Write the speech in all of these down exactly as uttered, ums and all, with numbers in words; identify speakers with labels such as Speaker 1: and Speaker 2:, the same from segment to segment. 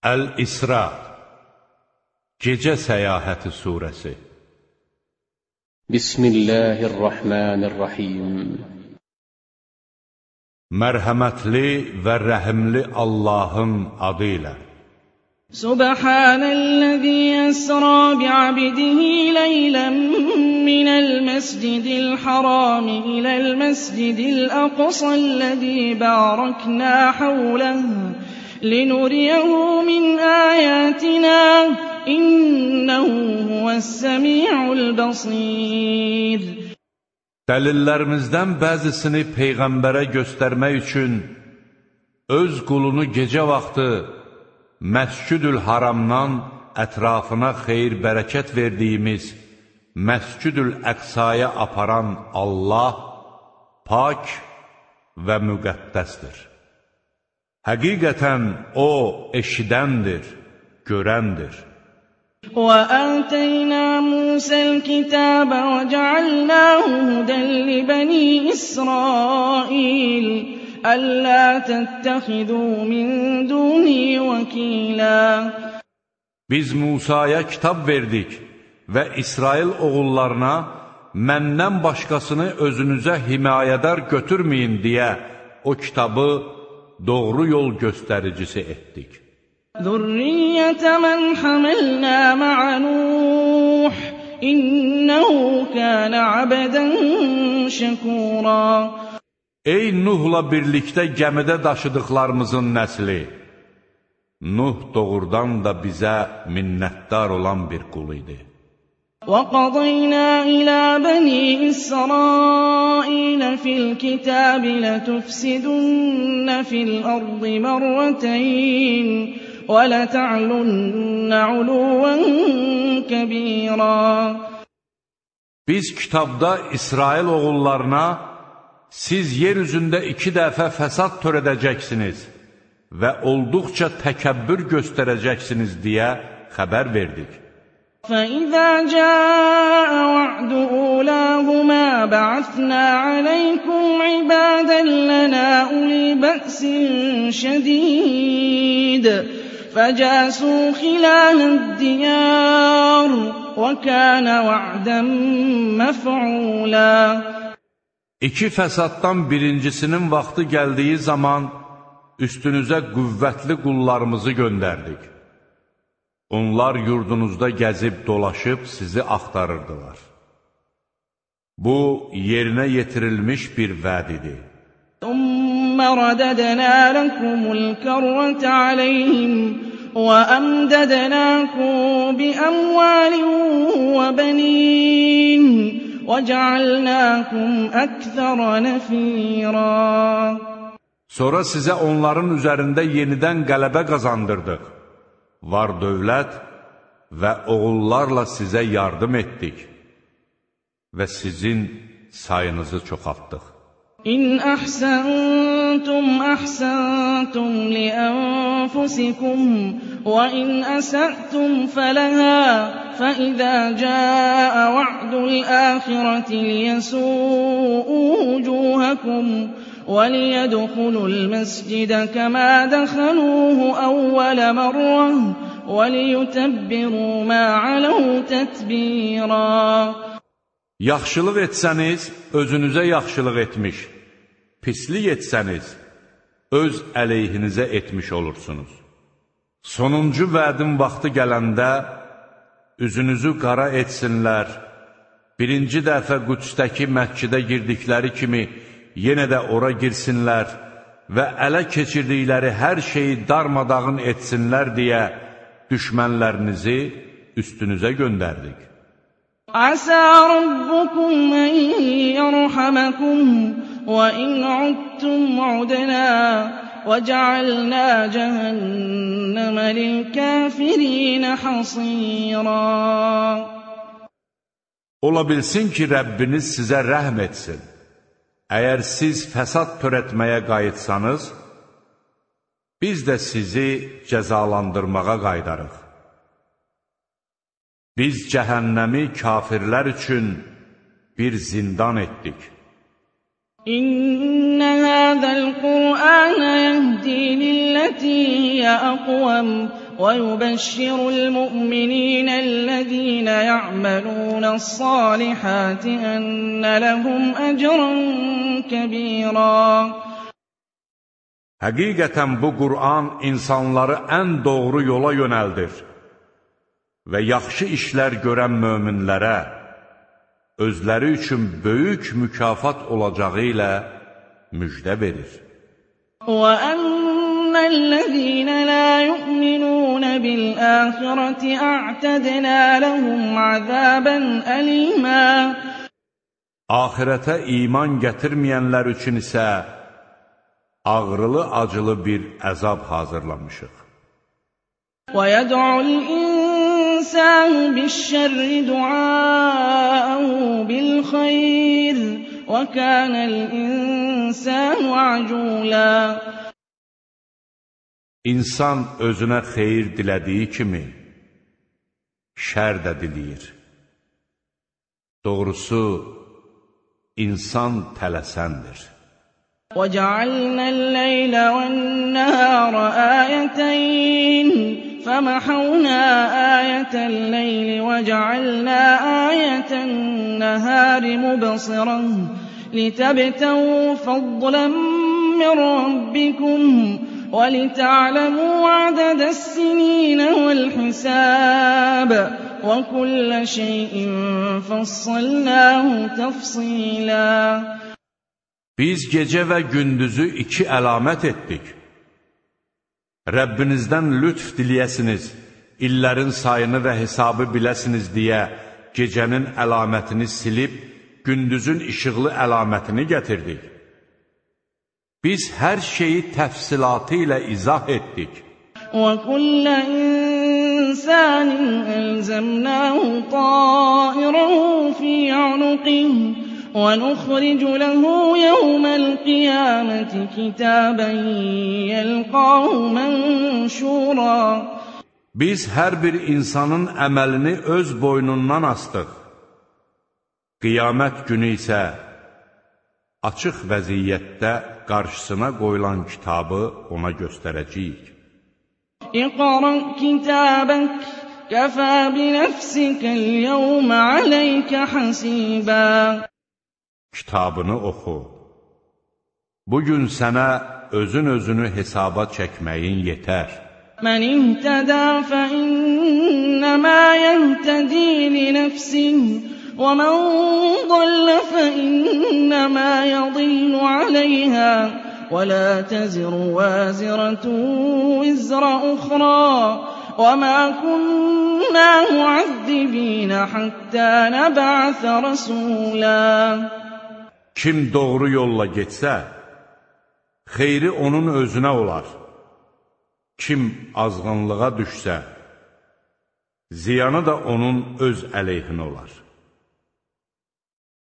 Speaker 1: Əl-İsra Gecə Səyahəti Suresi Bismillahirrahmanirrahim Mərhəmətli və rəhimli Allahın adı ilə
Speaker 2: Subhanəl-ləzî əsrā bi'abdihi leylən minəl məscidil harami iləl məscidil aqsəl-ləzî bāraknā havləhu linuriyehu min āyātinā innehu huvəs-semî'ul basîr.
Speaker 1: Dəlillərimizdən bəzisini Peyğəmbərə göstərmək üçün öz qulunu gecə vaxtı Məscüdül Haramdan ətrafına xeyir-bərəkət verdiyimiz Məscüdül Əqsaya aparan Allah pak və müqəddəsdir. Həqiqətən O eşidəndir, görəndir.
Speaker 2: وَآتَيْنَا مُوسَى الْكِتَابَ وَجَعَلْنَاهُ هُدًى لِبَنِي إِسْرَائِيلَ أَلَّا تَتَّخِذُوا مِن دُونِي وَكِيلًا
Speaker 1: Biz Musaya kitab verdik və İsrail oğullarına məndən başqasını özünüzə himayədar götürməyin deyə o kitabı doğru yol göstəricisi etdik.
Speaker 2: ذُرِّيَّةَ مَنْ حَمَلْنَا مَعَ نُوحٍ إِنَّهُ كَانَ عَبْدًا شَكُورًا
Speaker 1: Ey Nuhla birlikdə gəmidə daşıdıqlarımızın nəsli, Nuh doğrudan da bizə minnətdar olan bir qul idi.
Speaker 2: وَقَضَيْنَا إِلَى بَنِي إِسْرَائِيلَ فِي الْكِتَابِ لَتُفْسِدُنَّ فِي الْأَرْضِ مَرَّتَيْنِ وَلَتَعْلُنَّ عُلُوًّا كَبِيرًا
Speaker 1: Biz kitabda İsrail oğullarına siz yer üzündə iki dəfə fəsad törədəcəksiniz və olduqca təkəbbür göstərəcəksiniz deyə xəbər verdik.
Speaker 2: فَإِذَا جَاءَ وَعْدُ أُولَاهُمَا بَعَثْنَا عَلَيْكُمْ عِبَادًا لَنَا أُولِي بَأْسٍ شَدِيدٍ فَجَاسُوا خِلَالَ الدِّيَارِ وَكَانَ وَعْدًا مَفْعُولًا
Speaker 1: İki fəsaddan birincisinin vaxtı gəldiyi zaman üstünüzə qüvvətli qullarımızı göndərdik. Onlar yurdunuzda gəzib dolaşıb sizi axtarırdılar. Bu, yerinə yetirilmiş bir vəd idi.
Speaker 2: ثُمَّ رَدَدْنَا لَكُمُ الْكَرَّةَ عَلَيْهِمْ وَأَمْدَدْنَاكُمْ بِأَمْوَالٍ وَبَنِينَ وَجَعَلْنَاكُمْ أَكْثَرَ نَفِيرًا
Speaker 1: Sonra sizə onların üzərində yenidən qələbə qazandırdıq. Var dövlət və oğullarla sizə yardım etdik və sizin sayınızı çoxaltdıq.
Speaker 2: İn əhsəntum əhsəntum li ənfusikum və in əsə'tum fələhə fəizə cəə va'dul əxirəti liyəsu'u vücuhəkum وَلِيَدْخُلُوا الْمَسْجِدَ كَمَا دَخَلُوهُ أَوَّلَ مَرَّةٍ وَلِيُتَبِّرُوا مَا عَلَوْا تَتْبِيرًا
Speaker 1: Yaxşılıq etsəniz, özünüzə yaxşılıq etmiş, pislik etsəniz, öz əleyhinizə etmiş olursunuz. Sonuncu vədin vaxtı gələndə, üzünüzü qara etsinlər, birinci dəfə Qüdsdəki məscidə girdikləri kimi, yenə də ora girsinlər və ələ keçirdikləri hər şeyi darmadağın etsinlər deyə düşmənlərinizi üstünüzə göndərdik.
Speaker 2: Əsə rabbukum ən yərhəməkum və in udtum udnə və cəalnə cəhənnəmə lil-kəfirinə hasira.
Speaker 1: Ola bilsin ki, Rəbbiniz sizə rəhm etsin. Əgər siz fəsad törətməyə qayıtsanız, biz də sizi cəzalandırmağa qaydarıq. Biz cəhənnəmi kafirlər üçün bir zindan etdik.
Speaker 2: İnnə həzəl Qur'an yəhdi lilləti hiyə əqvəm ويبشر المؤمنين الذين يعملون الصالحات أن لهم أجرا كبيرا.
Speaker 1: Həqiqətən bu Qur'an insanları ən doğru yola yönəldir və yaxşı işlər görən möminlərə özləri üçün böyük mükafat olacağı ilə müjdə verir.
Speaker 2: وَأَنَّ الَّذِينَ لَا يُؤْمِنُونَ بِالْآخِرَةِ أَعْتَدْنَا لَهُمْ عَذَابًا أَلِيمًا.
Speaker 1: Ahirətə iman gətirməyənlər üçün isə ağrılı-acılı bir əzab hazırlamışıq.
Speaker 2: وَيَدْعُ الْإِنسَانُ بِالشَّرِّ دُعَاءَهُ بِالْخَيْرِ وَكَانَ الْإِنسَانُ عَجُولًا.
Speaker 1: İnsan özünə xeyir dilədiyi kimi şər də diləyir. Doğrusu, insan tələsəndir.
Speaker 2: وَجَعَلْنَا اللَّيْلَ وَالنَّهَارَ آيَتَيْنِ فَمَحَوْنَا آيَةَ اللَّيْلِ وَجَعَلْنَا آيَةَ النَّهَارِ مُبْصِرَةً لِتَبْتَغُوا فَضْلًا مِّن رَّبِّكُمْ وَلِتَعْلَمُوا عَدَدَ السِّنِينَ وَالْحِسَابَ وَكُلَّ شَيْءٍ فَصَّلْنَاهُ تَفْصِيلًا.
Speaker 1: Biz gecə və gündüzü iki əlamət etdik. Rəbbinizdən lütf diliyəsiniz, illərin sayını və hesabı biləsiniz deyə gecənin əlamətini silib, gündüzün işıqlı əlamətini gətirdik. Biz hər şeyi təfsilatı ilə izah etdik.
Speaker 2: وَكُلَّ إِنسَانٍ أَلْزَمْنَاهُ طَائِرَهُ فِي عُنُقِهِ وَنُخْرِجُ لَهُ يَوْمَ الْقِيَامَةِ كِتَابًا يَلْقَاهُ مَنشُورًا.
Speaker 1: Biz hər bir insanın əməlini öz boynundan astıq. Qiyamət günü isə açıq vəziyyətdə qarşısına qoyulan kitabı ona göstərəcəyik.
Speaker 2: اقْرَأْ كِتَابَكَ كَفَى بِنَفْسِكَ الْيَوْمَ عَلَيْكَ حَسِيبًا.
Speaker 1: Kitabını oxu. Bugün sənə özün özünü hesaba çəkməyin yetər.
Speaker 2: مَنِ اهْتَدَى فَإِنَّمَا يَهْتَدِي لِنَفْسِهِ وَمَنْ ضَلَّ فَإِنَّمَا يَضِلُّ عَلَيْهَا وَلَا تَزِرُ وَازِرَةٌ وِزْرَ أُخْرَى وَمَا كُنَّا مُعَذِّبِينَ حَتَّى نَبْعَثَ رَسُولًا.
Speaker 1: Kim doğru yolla getsə, xeyri onun özünə olar. Kim azğınlığa düşsə, ziyanı da onun öz əleyhinə olar.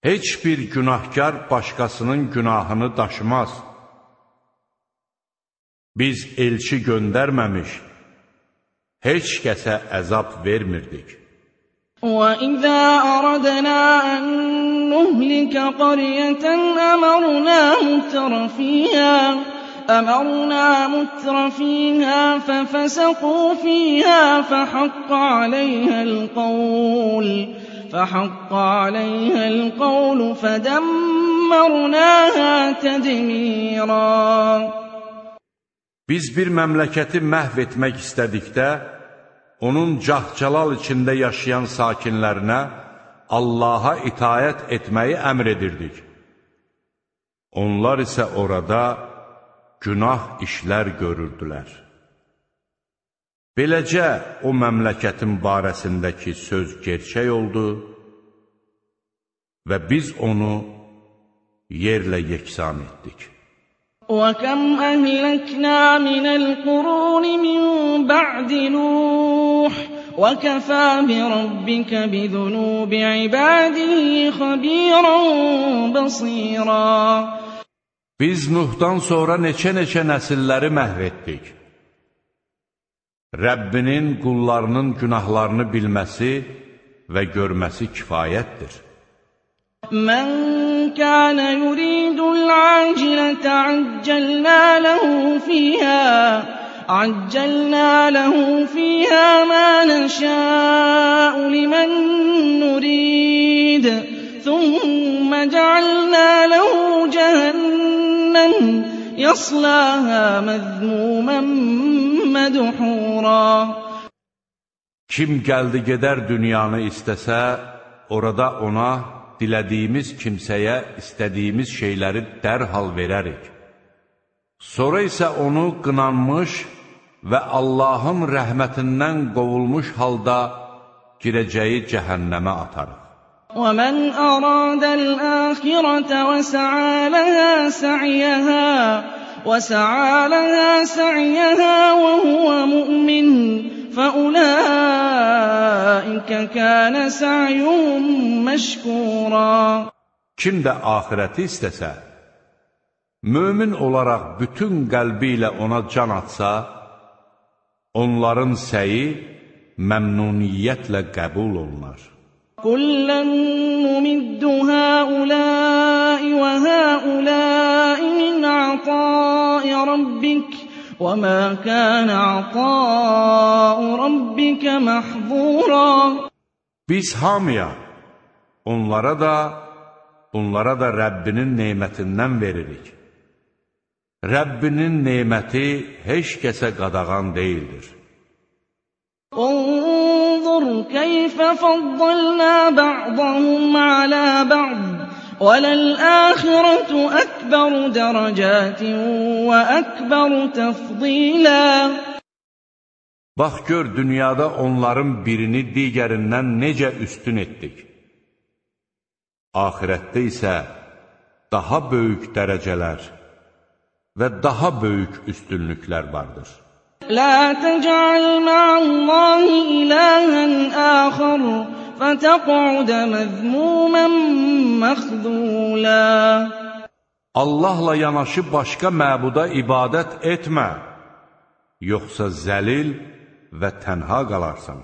Speaker 1: Heç bir günahkar başqasının günahını daşımaz. Biz elçi göndərməmiş, heç kəsə əzab vermirdik.
Speaker 2: وَإِذَا أَرَدْنَا أَن نُّهْلِكَ قَرْيَةً أَمَرْنَا مُتْرَ فِيهَا أَمَرْنَا مُتْرَ فِيهَا فَفَسَقُوا فِيهَا فَحَقَّ عَلَيْهَا الْقَوْلُ فَحَقَّ عَلَيْهَا الْقَوْلُ فَدَمَّرْنَاهَا تَدْمِيرًا.
Speaker 1: Biz bir məmləkəti məhv etmək istədikdə, onun cah-calal içində yaşayan sakinlərinə Allaha itayət etməyi əmr edirdik. Onlar isə orada günah işlər görürdülər. Beləcə o məmləkətin barəsindəki söz gerçək oldu və biz onu yerlə yeksan etdik.
Speaker 2: وَكَمْ أَهْلَكْنَا مِنَ الْقُرُونِ مِنْ بَعْدِ نُوحٍ وَكَفَى بِرَبِّكَ بِذُنُوبِ عِبَادِهِ خَبِيرًا بَصِيرًا.
Speaker 1: Biz Nuhdan sonra neçə-neçə nəsilləri məhv etdik. Rəbbinin qullarının günahlarını bilməsi və görməsi kifayətdir.
Speaker 2: مَنْ كَانَ يُرِيدُ الْعَاجِلَةَ عَجَّلْنَا لَهُ فِيهَا عجلنا له فيها ما نشاء لمن نريد ثم جعلنا له جهنم يصلاها مذموما مدحورا.
Speaker 1: Kim gəldi gedər dünyanı istəsə, orada ona dilədiyimiz kimsəyə istədiyimiz şeyləri dərhal verərik. Sonra isə onu qınanmış və Allahın rəhmətindən qovulmuş halda girəcəyi cəhənnəmə atarıq.
Speaker 2: وَمَنْ أَرَادَ الْآخِرَةَ وَسَعَى لَهَا سَعْيَهَا وَسَعَى لَهَا سَعْيَهَا وَهُوَ مُؤْمِنٌ فَأُولَٰئِكَ كَانَ سَعْيُهُمْ مَشْكُورًا.
Speaker 1: Kim də axirəti istəsə, mömin olaraq bütün qəlbi ilə ona can atsa, onların səyi məmnuniyyətlə qəbul olunar.
Speaker 2: كُلًّا نُّمِدُّ هَٰؤُلَاءِ وَهَٰؤُلَاءِ مِنْ عَطَاءِ رَبِّكَ وَمَا كَانَ عَطَاءُ رَبِّكَ مَحْظُورًا.
Speaker 1: Biz hamıya, onlara da, bunlara da Rəbbinin nemətindən veririk. Rəbbinin neməti heç kəsə qadağan deyildir.
Speaker 2: انظُرْ كَيْفَ فَضَّلْنَا بَعْضَهُمْ عَلَىٰ بَعْضٍ وَلَلْآخِرَةُ أَكْبَرُ دَرَجَاتٍ وَأَكْبَرُ تَفْضِيلًا.
Speaker 1: Bax gör, dünyada onların birini digərindən necə üstün etdik. Ahirətdə isə daha böyük dərəcələr və daha böyük üstünlüklər vardır.
Speaker 2: لا تجعل مع الله إلها آخر فتقعد مذموما مخذولا.
Speaker 1: Allahla yanaşı başqa məbuda ibadət etmə, yoxsa zəlil və tənha qalarsan.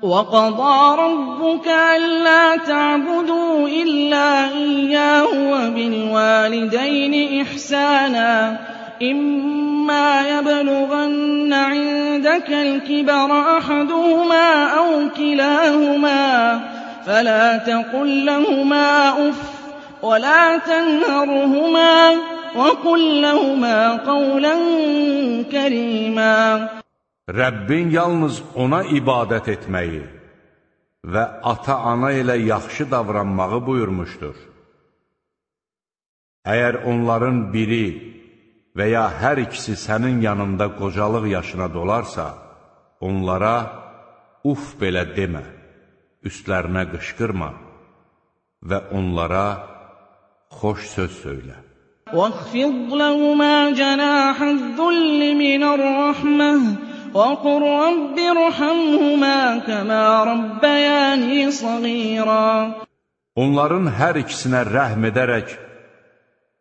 Speaker 2: وَقَضَىٰ رَبُّكَ أَلَّا تَعْبُدُوا إِلَّا إِيَّاهُ وَبِالْوَالِدَيْنِ إِحْسَانًا إِمَّا يَبْلُغَنَّ عِندَكَ الْكِبَرَ أَحَدُهُمَا أَوْ كِلَاهُمَا فَلَا تَقُل لَّهُمَا أُفٍّ وَلَا تَنْهَرْهُمَا وَقُل لَّهُمَا قَوْلًا كَرِيمًا.
Speaker 1: Rəbbin yalnız ona ibadət etməyi və ata-ana ilə yaxşı davranmağı buyurmuşdur. Əgər onların biri və ya hər ikisi sənin yanında qocalıq yaşına dolarsa, onlara uf belə demə, üstlərinə qışqırma və onlara xoş söz söylə.
Speaker 2: وَاخْفِضْ لَهُمَا جَنَاحَ الذُّلِّ مِنَ الرَّحْمَةِ وَقُل رَّبِّ ارْحَمْهُمَا كَمَا رَبَّيَانِي صَغِيرًا.
Speaker 1: Onların hər ikisinə rəhm edərək,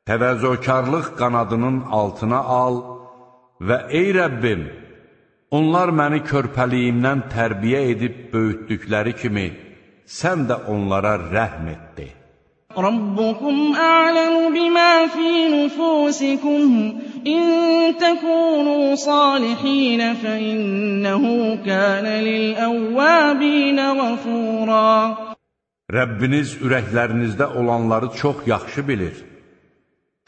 Speaker 1: təvəzzökarlıq qanadının altına al və ey Rəbbim, onlar məni körpəliyimdən tərbiyə edib böyütdükləri kimi, sən də onlara rəhm etdi.
Speaker 2: رَبُّكُمْ أَعْلَمُ بِمَا فِي نُفُوسِكُمْ إِن تَكُونُوا صَالِحِينَ فَإِنَّهُ كَانَ لِلْأَوَّابِينَ غَفُورًا.
Speaker 1: Rəbbiniz ürəklərinizdə olanları çox yaxşı bilir.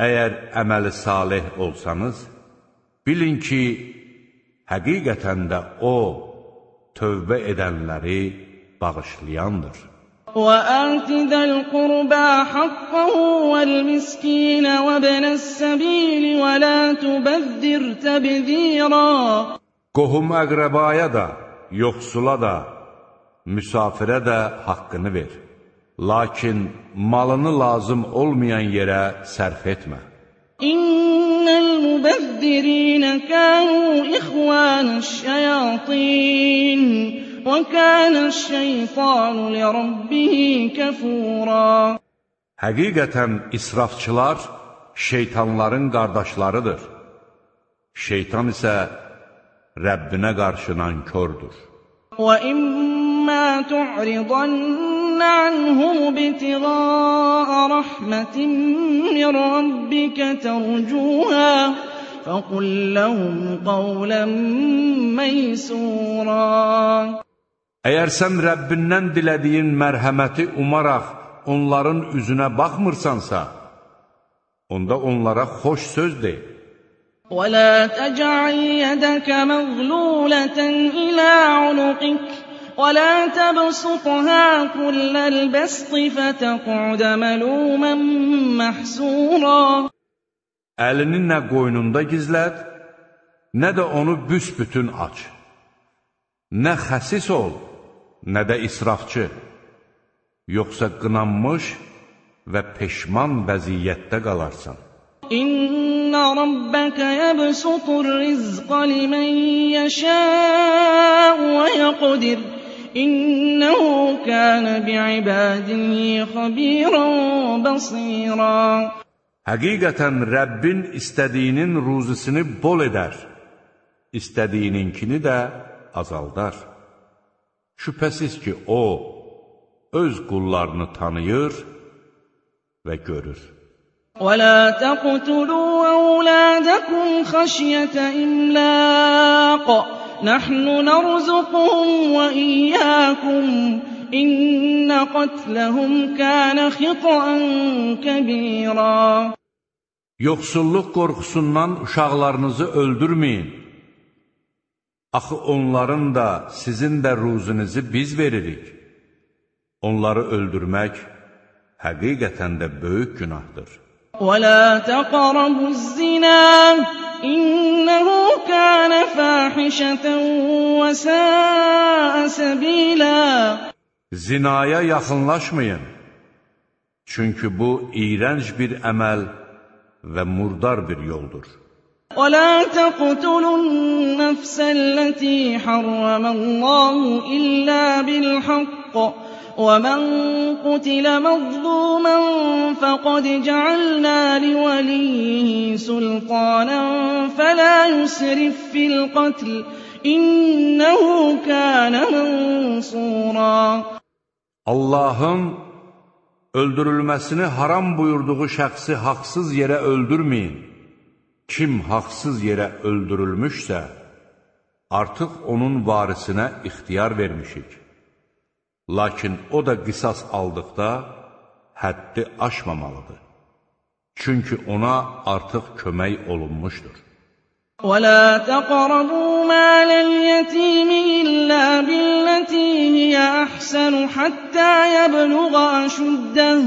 Speaker 1: Əgər əməli salih olsanız, bilin ki, həqiqətən də O, tövbə edənləri bağışlayandır.
Speaker 2: وَآتِ ذَا الْقُرْبَىٰ حَقَّهُ وَالْمِسْكِينَ وَابْنَ السَّبِيلِ وَلَا تُبَذِّرْ تَبْذِيرًا.
Speaker 1: Qohum əqrəbaya da, yoxsula da, müsafirə də haqqını ver. Lakin malını lazım olmayan yerə sərf etmə.
Speaker 2: İnnel mubezzirin kanu ihvaneş-şeyatin və kâneş-şeytanu li rabbihi kafura.
Speaker 1: Həqiqətən israfçılar şeytanların qardaşlarıdır. Şeytan isə Rəbbinə qarşı nankördür.
Speaker 2: Və immâ tu'ridanna anhum ibtigâ'a rahmetin min rabbike tercûhâ فقل لهم قولا ميسورا.
Speaker 1: Əgər sən Rəbbindən dilədiyin mərhəməti umaraq onların üzünə baxmırsansa, onda onlara xoş söz de.
Speaker 2: وَلَا تَجْعَلْ يَدَكَ مَغْلُولَةً إِلَى عُنُقِكَ وَلَا تَبْسُطْهَا كُلَّ الْبَسْطِ فَتَقْعُدَ مَلُومًا مَحْسُورًا.
Speaker 1: Əlini nə qoynunda gizlət, nə də onu büsbütün aç. Nə xəsis ol, nə də israfçı, yoxsa qınanmış və peşman vəziyyətdə qalarsan.
Speaker 2: İnna rabbaka yabsutur rizqa limen yasha'u ve yaqdir. İnnehu kana bi'ibadihi xabiran basira.
Speaker 1: Həqiqətən Rəbbin istədiyinin ruzisini bol edər, istədiyininkini də azaldar. Şübhəsiz ki, O, öz qullarını tanıyır və görür.
Speaker 2: وَلَا تَقْتُلُوا أَوْلَادَكُمْ خَشْيَةَ إِمْلَاقٍ نَحْنُ نَرْزُقُهُمْ وَإِيَّاكُمْ إِنَّ قَتْلَهُمْ كَانَ خِطْئًا كَبِيرًا.
Speaker 1: Yoxsulluq qorxusundan uşaqlarınızı öldürməyin. Axı onların da, sizin də ruzinizi biz veririk. Onları öldürmək həqiqətən də böyük günahdır.
Speaker 2: وَلَا تَقْرَبُوا الزِّنَا إِنَّهُ كَانَ فَاحِشَةً وَسَاءَ سَبِيلًا.
Speaker 1: Zinaya yaxınlaşmayın. Çünki bu iyrənc bir əməl və murdar bir yoldur.
Speaker 2: وَلَا تَقْتُلُوا النَّفْسَ الَّتِي حَرَّمَ اللَّهُ إِلَّا بِالْحَقِّ وَمَنْ قُتِلَ مَظْلُومًا فَقَدْ جَعَلْنَا لِوَلِيِّهِ سُلْطَانًا فَلَا يُسْرِفْ فِي الْقَتْلِ إِنَّهُ كَانَ مَنْصُورًا.
Speaker 1: Allahın öldürülməsini haram buyurduğu şəxsi haqsız yerə öldürməyin. Kim haqsız yerə öldürülmüşsə, artıq onun varisinə ixtiyar vermişik. Lakin o da qisas aldıqda həddi aşmamalıdır. Çünki ona artıq kömək olunmuşdur.
Speaker 2: وَلَا تَقْرَبُوا مَالَ الْيَتِيمِ إِلَّا بِالَّتِي هِيَ أَحْسَنُ حَتَّى يَبْلُغَ أَشُدَّهُ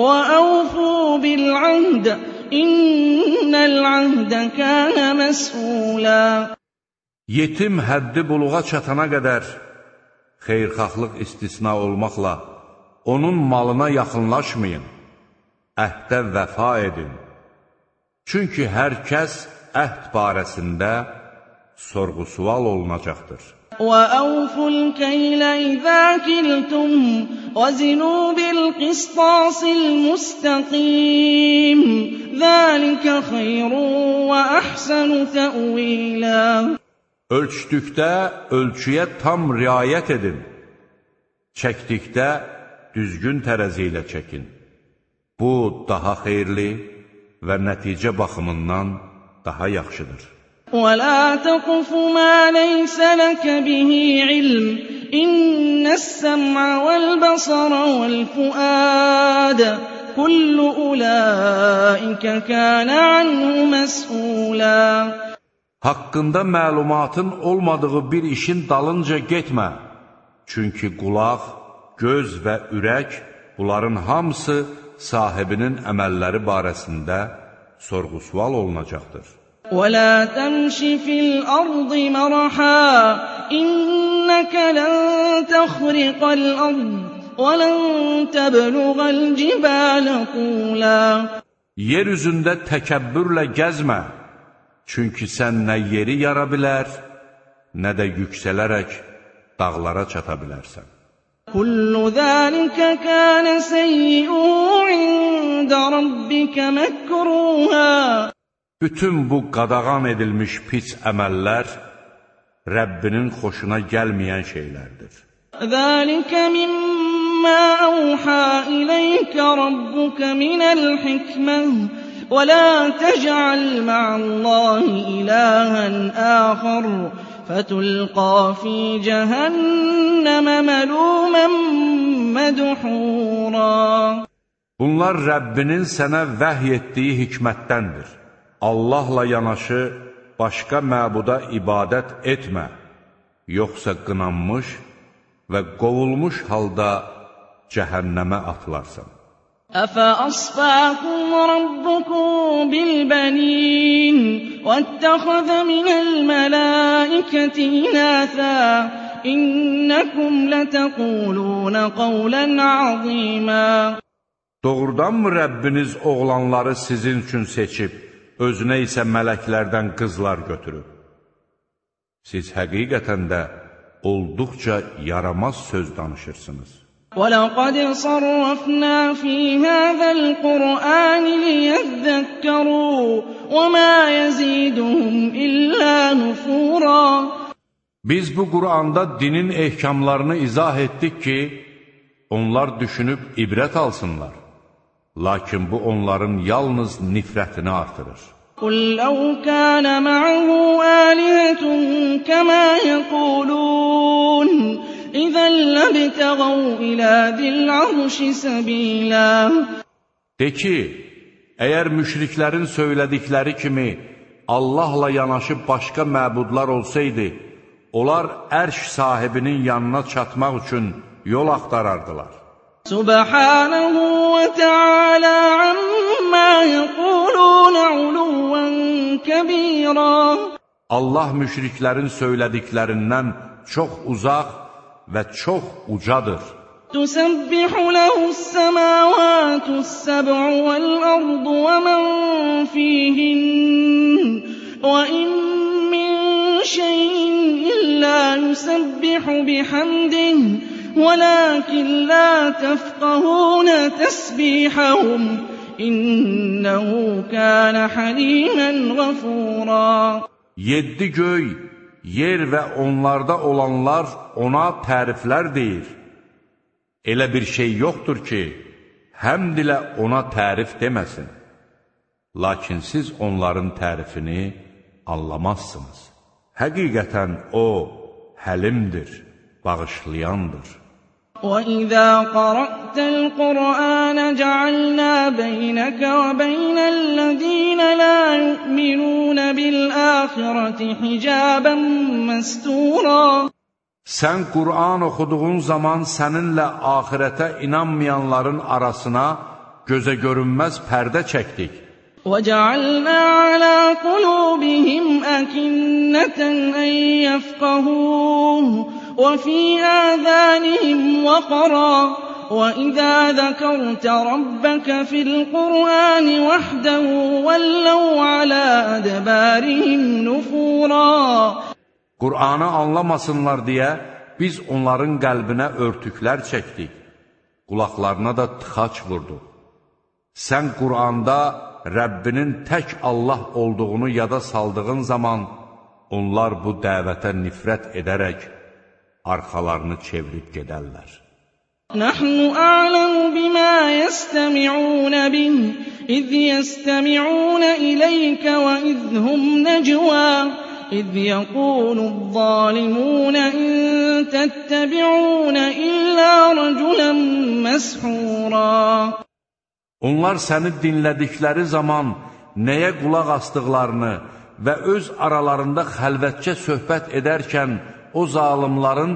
Speaker 2: وَأَوْفُوا بِالْعَهْدِ إِنَّ الْعَهْدَ كَانَ مَسْئُولًا.
Speaker 1: Yetim həddi buluğa çatana qədər xeyirxahlıq istisna olmaqla onun malına yaxınlaşmayın, əhdə vəfa edin. Çünki hər kəs əhd barəsində sorğu-sual olunacaqdır.
Speaker 2: وَأَوْفُوا الْكَيْلَ إِذَا كِلْتُمْ وَزِنُوا بِالْقِسْطَاسِ الْمُسْتَقِيمِ ذَلِكَ خَيْرٌ وَأَحْسَنُ تَأْوِيلًا.
Speaker 1: Ölçdükdə ölçüyə tam riayət edin. Çəkdikdə düzgün tərəzi ilə çəkin. Bu, daha xeyirli və nəticə baxımından daha yaxşıdır.
Speaker 2: وَلَا تَقْفُ مَا لَيْسَ لَكَ بِهِ عِلْمٌ إِنَّ السَّمْعَ وَالْبَصَرَ وَالْفُؤَادَ كُلُّ أُولَٰئِكَ كَانَ عَنْهُ مَسْئُولًا.
Speaker 1: Haqqında məlumatın olmadığı bir işin dalınca getmə. Çünki qulaq, göz və ürək, bunların hamısı sahibinin əməlləri barəsində sorğu-sual olunacaqdır.
Speaker 2: وَلَا تَمْشِ فِي الْأَرْضِ مَرَحًا إِنَّكَ لَن تَخْرِقَ الْأَرْضَ وَلَن تَبْلُغَ الْجِبَالَ طُولًا.
Speaker 1: Yer üzündə təkəbbürlə gəzmə. Çünki sən nə yeri yara bilər, nə də yüksələrək dağlara çata bilərsən.
Speaker 2: كُلُّ ذَلِكَ كَانَ سَيِّئُهُ عِندَ رَبِّكَ مَكْرُوهًا.
Speaker 1: Bütün bu qadağan edilmiş pis əməllər Rəbbinin xoşuna gəlməyən şeylərdir.
Speaker 2: ذَلِكَ مِمَّا أَوْحَى إِلَيْكَ رَبُّكَ مِنَ الْحِكْمَةِ ولا تجعل مع الله إلها آخر فتلقى في جهنم ملوما مدحورا.
Speaker 1: Bunlar Rəbbinin sənə vəhy etdiyi hikmətdəndir. Allahla yanaşı başqa məbuda ibadət etmə, yoxsa qınanmış və qovulmuş halda cəhənnəmə atılarsan.
Speaker 2: أَفَأَصْفَاكُمْ رَبُّكُمْ بِالْبَنِينَ وَاتَّخَذَ مِنَ الْمَلَائِكَةِ إِنَاثًا إِنَّكُمْ لَتَقُولُونَ قَوْلًا عَظِيمًا.
Speaker 1: Doğrudanmı Rəbbiniz oğlanları sizin üçün seçib, özünə isə mələklərdən qızlar götürüb? Siz həqiqətən də olduqca yaramaz söz danışırsınız.
Speaker 2: وَلَقَدْ صَرَّفْنَا فِي هَذَا الْقُرْآنِ لِيَذَّكَّرُوا وَمَا يَزِيدُهُمْ إِلَّا نُفُورًا.
Speaker 1: Biz bu Qur'anda dinin ehkamlarını izah etdik ki, onlar düşünüb ibrət alsınlar. Lakin bu onların yalnız nifrətini artırır.
Speaker 2: قُلْ لَوْ كَانَ مَعَهُ آلِهَةٌ كَمَا يَقُولُونَ إِذًا لَّابْتَغَوْا إِلَى ذِي الْعَرْشِ سَبِيلًا.
Speaker 1: De ki, əgər müşriklərin söylədikləri kimi Allahla yanaşı başqa məbudlar olsaydı, onlar ərş sahibinin yanına çatmaq üçün yol axtarardılar.
Speaker 2: Subhanahu ve Teala amma yaqulun uluwan kabira.
Speaker 1: Allah müşriklərin söylədiklərindən çox uzaq və çox ucadır.
Speaker 2: Tusabbihu lehu's-semawatu-s-seb'u vel-ardu ve men fihin ve in min şey'in illa yusabbihu bihamdihi وَلَكِنْ لَا تَفْقَهُونَ تَسْبِيحَهُمْ إِنَّهُ كَانَ حَلِيمًا غَفُورًا.
Speaker 1: Yeddi göy, yer və onlarda olanlar ona təriflər deyir. Elə bir şey yoxdur ki, həmd ilə ona tərif deməsin. Lakin siz onların tərifini anlamazsınız. Həqiqətən o, həlimdir, bağışlayandır.
Speaker 2: وَإِذَا قَرَأْتَ الْقُرْآنَ جَعَلْنَا بَيْنَكَ وَبَيْنَ الَّذِينَ لَا يُؤْمِنُونَ بِالْآخِرَةِ حِجَابًا مَسْتُورًا.
Speaker 1: Sən Qur'an oxuduğun zaman səninlə axirətə inanmayanların arasına gözə görünməz pərdə çəkdik.
Speaker 2: وَجَعَلْنَا عَلَى قُلُوبِهِمْ أَكِنَّةً أَن يَفْقَهُوهُ وَفِي آذَانِهِمْ وَقْرًا وَإِذَا ذَكَرْتَ رَبَّكَ فِي الْقُرْآنِ وَحْدَهُ وَلَّوْا عَلَى أَدْبَارِهِمْ نُفُورًا.
Speaker 1: Qur'anı anlamasınlar deyə biz onların qəlbinə örtüklər çəkdik, qulaqlarına da tıxac vurduq. Sən Qur'anda Rəbbinin tək Allah olduğunu yada saldığın zaman onlar bu dəvətə nifrət edərək arxalarını çevirib gedərlər.
Speaker 2: Nəhnu a'lamu bima yestemi'un bih iz yestemi'un ileykə və izhum necvə iz yəqulu'z-zalimun in tettebi'un illə rəculən məshura.
Speaker 1: Onlar səni dinlədikləri zaman nəyə qulaq asdıqlarını və öz aralarında xəlvətcə söhbət edərkən o zalimların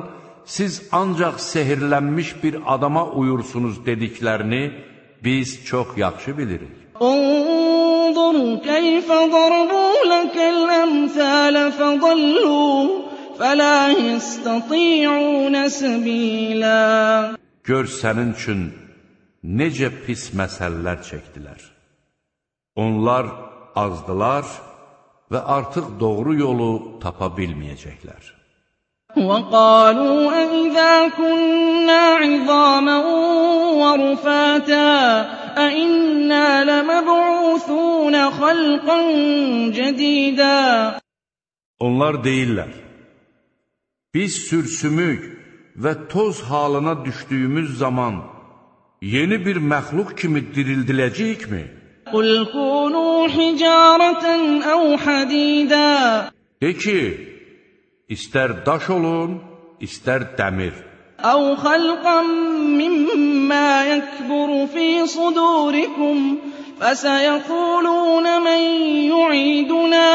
Speaker 1: siz ancaq sehirlənmiş bir adama uyursunuz dediklərini biz çox yaxşı bilirik.
Speaker 2: Unzur keyfə darabu lekəl əmthələ fədallu fələ yəstəti'un səbilə.
Speaker 1: Gör sənin üçün necə pis məsələlər çəkdilər. Onlar azdılar və artıq doğru yolu tapa bilməyəcəklər.
Speaker 2: وَقَالُوا أَإِذَا كُنَّا عِظَامًا وَرُفَاتًا أَإِنَّا لَمَبْعُوثُونَ خَلْقًا جَدِيدًا.
Speaker 1: Onlar deyirlər, biz sürsümük və toz halına düşdüyümüz zaman yeni bir məxluq kimi dirildiləcəyikmi?
Speaker 2: قُلْ كُونُوا حِجَارَةً أَوْ حَدِيدًا
Speaker 1: De ki, istər daş olun, istər dəmir.
Speaker 2: أَوْ خَلْقًا مِّمَّا يَكْبُرُ فِي صُدُورِكُمْ فَسَيَقُولُونَ مَن يُعِيدُنَا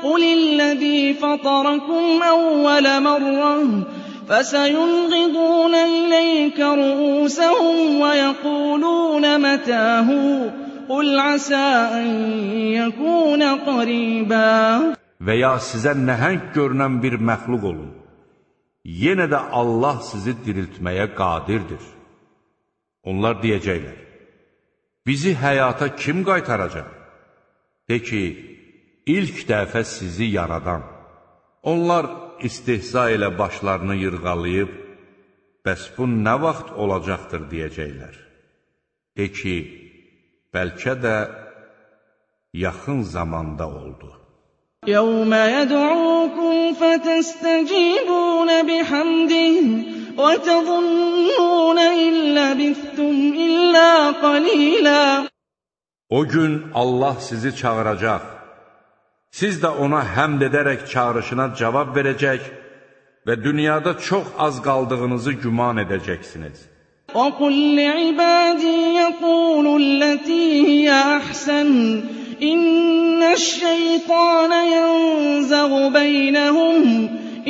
Speaker 2: قُلِ الَّذِي فَطَرَكُمْ أَوَّلَ مَرَّةٍ فَسَيُنْغِضُونَ إِلَيْكَ رُءُوسَهُمْ وَيَقُولُونَ مَتَىٰ هُوَ قُلْ عَسَىٰ أَن يَكُونَ قَرِيبًا.
Speaker 1: Və ya sizə nəhəng görünən bir məxluq olun. Yenə də Allah sizi diriltməyə qadirdir. Onlar deyəcəklər, bizi həyata kim qaytaracaq? De ki, ilk dəfə sizi yaradan. Onlar istehza ilə başlarını yırğalayıb, bəs bu nə vaxt olacaqdır deyəcəklər. De ki, bəlkə də yaxın zamanda oldu.
Speaker 2: يَوْمَ يَدْعُوكُمْ فَتَسْتَجِيبُونَ بِحَمْدِهِ وَتَظُنُّونَ إِن لَّبِثْتُمْ إِلَّا قَلِيلًا.
Speaker 1: O gün Allah sizi çağıracaq. Siz də ona həmd edərək çağırışına cavab verəcək və dünyada çox az qaldığınızı güman edəcəksiniz.
Speaker 2: وَقُلْ لِعِبَادِي يَقُولُوا الَّتِي هِيَ أَحْسَنُ إِنَّ الشَّيْطَانَ يَنزَغُ بَيْنَهُمْ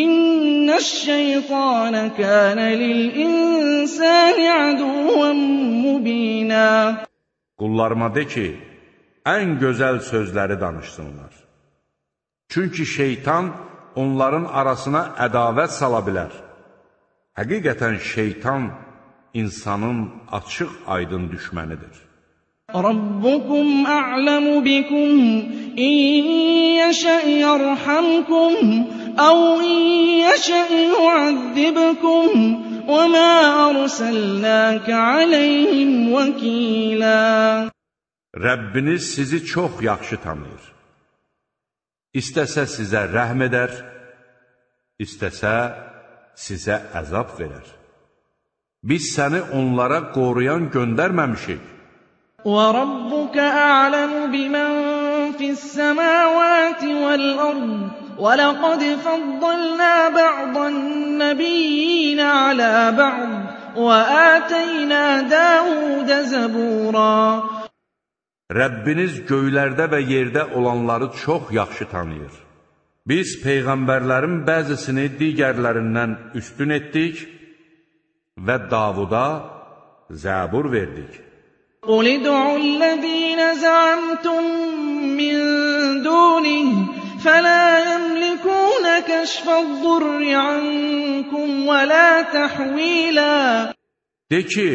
Speaker 2: إِنَّ الشَّيْطَانَ كَانَ لِلْإِنسَانِ عَدُوًّا مُّبِينًا.
Speaker 1: Qullarıma de ki, ən gözəl sözləri danışsınlar. Çünki şeytan onların arasına ədavət sala bilər. Həqiqətən şeytan insanın açıq aydın düşmənidir.
Speaker 2: رَبُّكُمْ أَعْلَمُ بِكُمْ إِن يَشَأْ يَرْحَمْكُمْ أَوْ إِن يَشَأْ يُعَذِّبْكُمْ وَمَا أَرْسَلْنَاكَ عَلَيْهِمْ وَكِيلًا.
Speaker 1: Rəbbiniz sizi çox yaxşı tanıyır. İstəsə sizə rəhm edər, istəsə sizə əzab verər. Biz səni onlara qoruyan göndərməmişik.
Speaker 2: وَرَبُّكَ أَعْلَمُ بِمَن فِي السَّمَاوَاتِ وَالْأَرْضِ وَلَقَدْ فَضَّلْنَا بَعْضَ النَّبِيِّينَ عَلَىٰ بَعْضٍ وَآتَيْنَا دَاوُودَ زَبُورًا.
Speaker 1: Rəbbiniz göylərdə və yerdə olanları çox yaxşı tanıyır. Biz peyğəmbərlərin bəzisini digərlərindən üstün etdik və Davuda zəbur verdik.
Speaker 2: قُلِ ادْعُوا الَّذِينَ زَعَمْتُم مِّن دُونِهِ فَلَا يَمْلِكُونَ كَشْفَ الضُّرِّ عَنكُمْ وَلَا تَحْوِيلًا.
Speaker 1: De ki,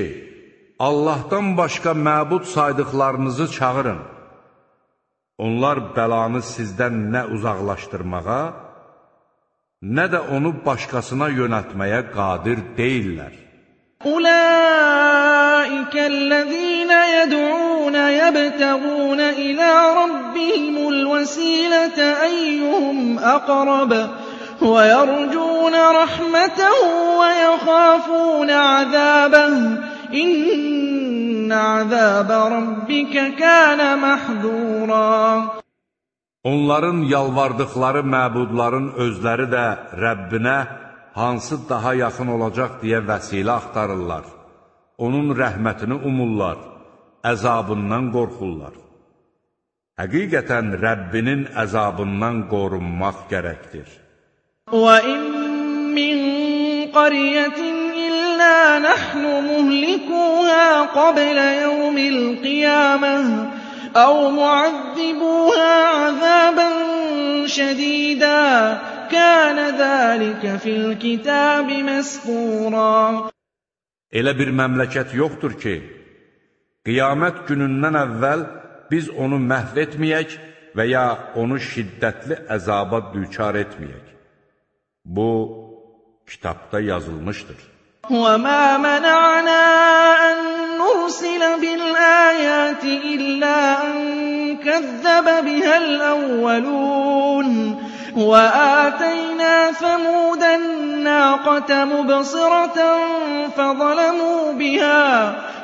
Speaker 1: Allahdan başqa məbud saydıqlarınızı çağırın. Onlar bəlanı sizdən nə uzaqlaşdırmağa, nə də onu başqasına yönəltməyə qadir deyillər.
Speaker 2: أُولَٰئِكَ الَّذِينَ يَدْعُونَ يَبْتَغُونَ إِلَىٰ رَبِّهِمُ الْوَسِيلَةَ أَيُّهُمْ أَقْرَبُ وَيَرْجُونَ رَحْمَتَهُ وَيَخَافُونَ عَذَابَهُ إِنَّ عَذَابَ رَبِّكَ كَانَ مَحْذُورًا.
Speaker 1: Onların yalvardıqları məbudların özləri də Rəbbinə hansı daha yaxın olacaq deyə vəsilə axtarırlar. Onun rəhmətini umurlar, əzabından qorxurlar. Həqiqətən Rəbbinin əzabından qorunmaq gərəkdir.
Speaker 2: وَإِن مِّن قَرْيَةٍ إِلَّا نَحْنُ مُهْلِكُوهَا قَبْلَ يَوْمِ الْقِيَامَةِ أَوْ مُعَذِّبُوهَا عَذَابًا شَدِيدًا كَانَ ذَٰلِكَ فِي الْكِتَابِ مَسْطُورًا.
Speaker 1: Elə bir məmləkət yoxdur ki, qiyamət günündən əvvəl biz onu məhv etməyək və ya onu şiddətli əzaba düçar etməyək. Bu, kitabda yazılmışdır.
Speaker 2: وَمَا مَنَعْنَا أَن نُّرْسِلَ بِالْآيَاتِ إِلَّا أَن كَذَّبَ بِهَا الْأَوَّلُونَ وَآتَيْنَا ثَمُودَ النَّاقَةَ مُبْصِرَةً فَظَلَمُوا بِهَا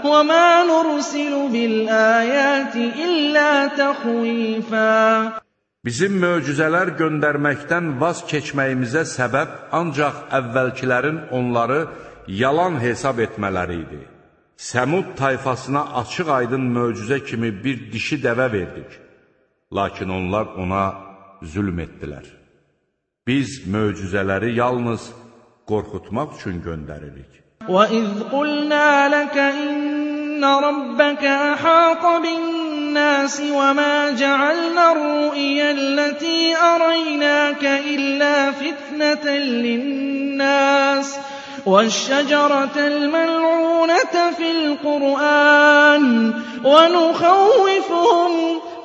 Speaker 2: وَمَا نُرْسِلُ بِالْآيَاتِ إِلَّا تَخْوِيفًا.
Speaker 1: Bizim möcüzələr göndərməkdən vaz keçməyimizə səbəb ancaq əvvəlkilərin onları yalan hesab etmələri idi. Səmud tayfasına açıq-aydın möcüzə kimi bir dişi dəvə verdik. Lakin onlar ona zülm etdilər. Biz möcüzələri yalnız qorxutmaq üçün göndəririk.
Speaker 2: وَإِذْ قُلْنَا لَكَ إِنَّ رَبَّكَ أَحَاطَ بِالنَّاسِ وَمَا جَعَلْنَا الرُّؤْيَا الَّتِي أَرَيْنَاكَ إِلَّا فِتْنَةً لِلنَّاسِ وَالشَّجَرَةَ الْمَلْعُونَةَ فِي الْقُرْآنِ وَنُخَوِّفُهُمْ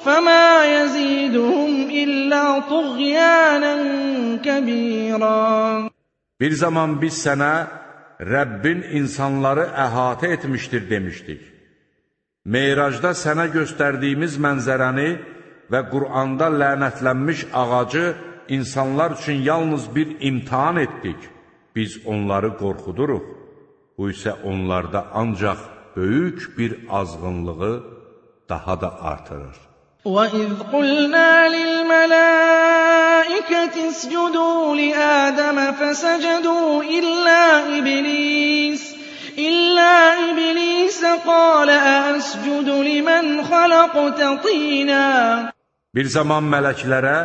Speaker 2: فَمَا يَزِيدُهُمْ إِلَّا طُغْيَانًا كَبِيرًا.
Speaker 1: Bir zaman biz sənə Rəbbin insanları əhatə etmişdir demişdik. Meyracda sənə göstərdiyimiz mənzərəni və Qur'anda lənətlənmiş ağacı insanlar üçün yalnız bir imtihan etdik. Biz onları qorxuduruq. Bu isə onlarda ancaq böyük bir azğınlığı daha da artırır.
Speaker 2: وَإِذْ قُلْنَا لِلْمَلَائِكَةِ اسْجُدُوا لِآدَمَ فَسَجَدُوا إِلَّا إِبْلِيسَ إِلَّا إِبْلِيسَ قَالَ أَأَسْجُدُ لِمَنْ خَلَقْتَ طِينًا.
Speaker 1: Bir zaman mələklərə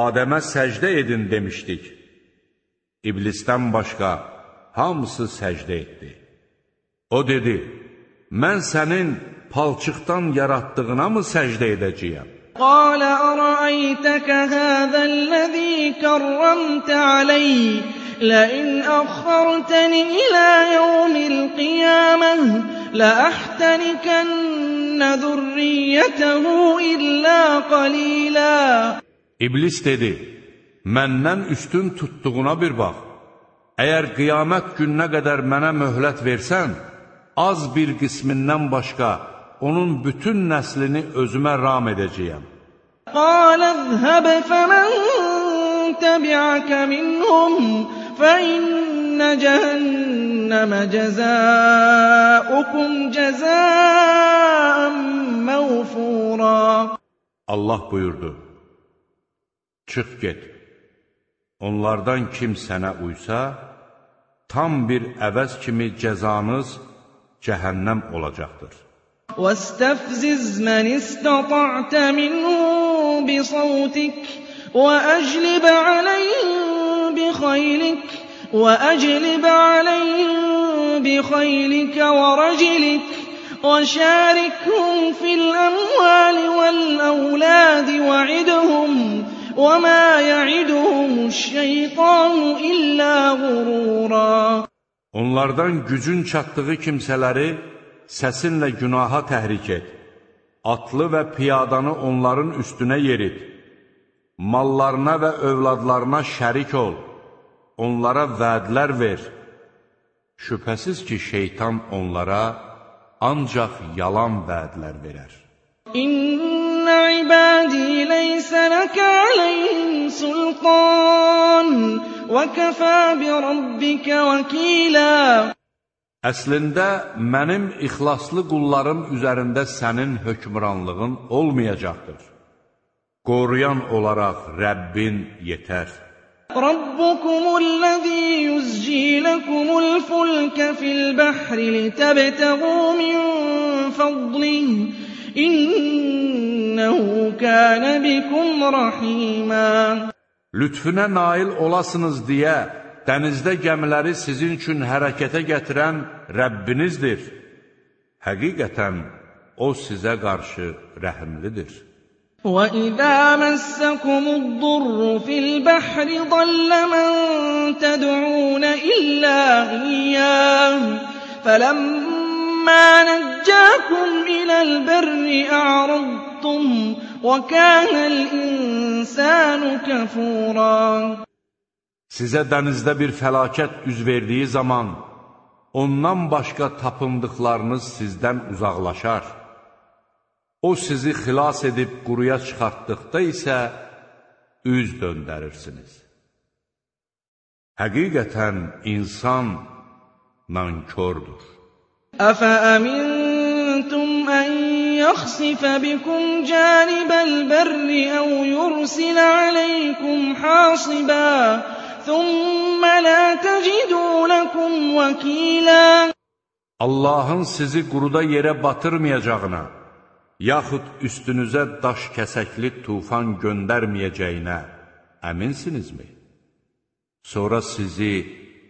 Speaker 1: Adəmə səcdə edin demişdik. İblisdən başqa hamısı səcdə etdi. O dedi, mən sənin palçıqdan yaratdığına mı səcdə edəcəyəm?
Speaker 2: قَالَ أَرَأَيْتَكَ هَذَا الَّذِي كَرَّمْتَ عَلَيَّ لَئِنْ أَخَّرْتَنِي إِلَى يَوْمِ الْقِيَامَةِ لَأَحْتَنِكَنَّ ذُرِّيَّتَهُ إِلَّا قَلِيلًا.
Speaker 1: İblis dedi, məndən üstün tutduğuna bir bax. Əgər qiyamət gününə qədər mənə möhlət versən, az bir qismindən başqa onun bütün nəslini özümə ram edəcəyəm.
Speaker 2: قَالَ اذْهَبْ فَمَنْ تَبِعَكَ مِنْهُمْ فَإِنَّ جَهَنَّمَ جَزَاؤُكُمْ جَزَاءً مَوْفُورًا.
Speaker 1: Allah buyurdu, çıx get, onlardan kim sənə uysa, tam bir əvəz kimi cəzanız cəhənnəm olacaqdır.
Speaker 2: وَاسْتَفْزِزْ مَنِ اسْتَطَعْتَ مِنْهُم بِصَوْتِكَ وَأَجْلِبْ عَلَيْهِم بِخَيْلِكَ وَأَجْلِبْ عَلَيْهِم بِخَيْلِكَ وَرَجِلِكَ وَشَارِكْهُمْ فِي الْأَمْوَالِ وَالْأَوْلَادِ وَعِدْهُمْ وَمَا يَعِدُهُمُ الشَّيْطَانُ إِلَّا غُرُورًا.
Speaker 1: Onlardan gücün çatdığı kimsələri səsinlə günaha təhrik et. Atlı və piyadanı onların üstünə yerit. Mallarına və övladlarına şərik ol. Onlara vədlər ver. Şübhəsiz ki, şeytan onlara ancaq yalan vədlər verər.
Speaker 2: İnna ibadi leysa laka aleyhim sultan və kəfə bi rabbika vəkila.
Speaker 1: Əslində, mənim ixlaslı qullarım üzərində sənin hökmranlığın olmayacaqdır. Qoruyan olaraq Rəbbin yetər.
Speaker 2: Rabbukumul-ləzî yuzcî lekumul-fulke fil-bəhri litəbtəğû min fadlihi İnnehu kâne bikum rahîmâ.
Speaker 1: Lütfüne nail olasınız deyə dənizdə gəmiləri sizin üçün hərəkətə gətirən Rəbbinizdir. Həqiqətən O sizə qarşı rəhimlidir.
Speaker 2: وَإِذَا مَسَّكُمُ الضُّرُّ فِي الْبَحْرِ ضَلَّ مَن تَدْعُونَ إِلَّا إِيَّاهُ فَلَمَّا نَجَّاكُمْ إِلَى الْبَرِّ أَعْرَضْتُمْ وَكَانَ الْإِنسَانُ كَفُورًا.
Speaker 1: Sizə dənizdə bir fəlakət üz verdiyi zaman, ondan başqa tapındıqlarınız sizdən uzaqlaşar. O sizi xilas edib quruya çıxartdıqda isə, üz döndərirsiniz. Həqiqətən insan nankördür.
Speaker 2: أَفَأَمِنْتُمْ أَنْ يَخْسِفَ بِكُمْ جَانِبَ الْبَرِّ أَوْ يُرْسِلَ عَلَيْكُمْ حَاصِبًا ثُمَّ لَا تَجِدُوا لَكُمْ وَكِيلًا
Speaker 1: Allahın sizi quruda yerə batırmayacağına, yaxud üstünüzə daş kəsəkli tufan göndərməyəcəyinə əminsinizmi? Sonra sizi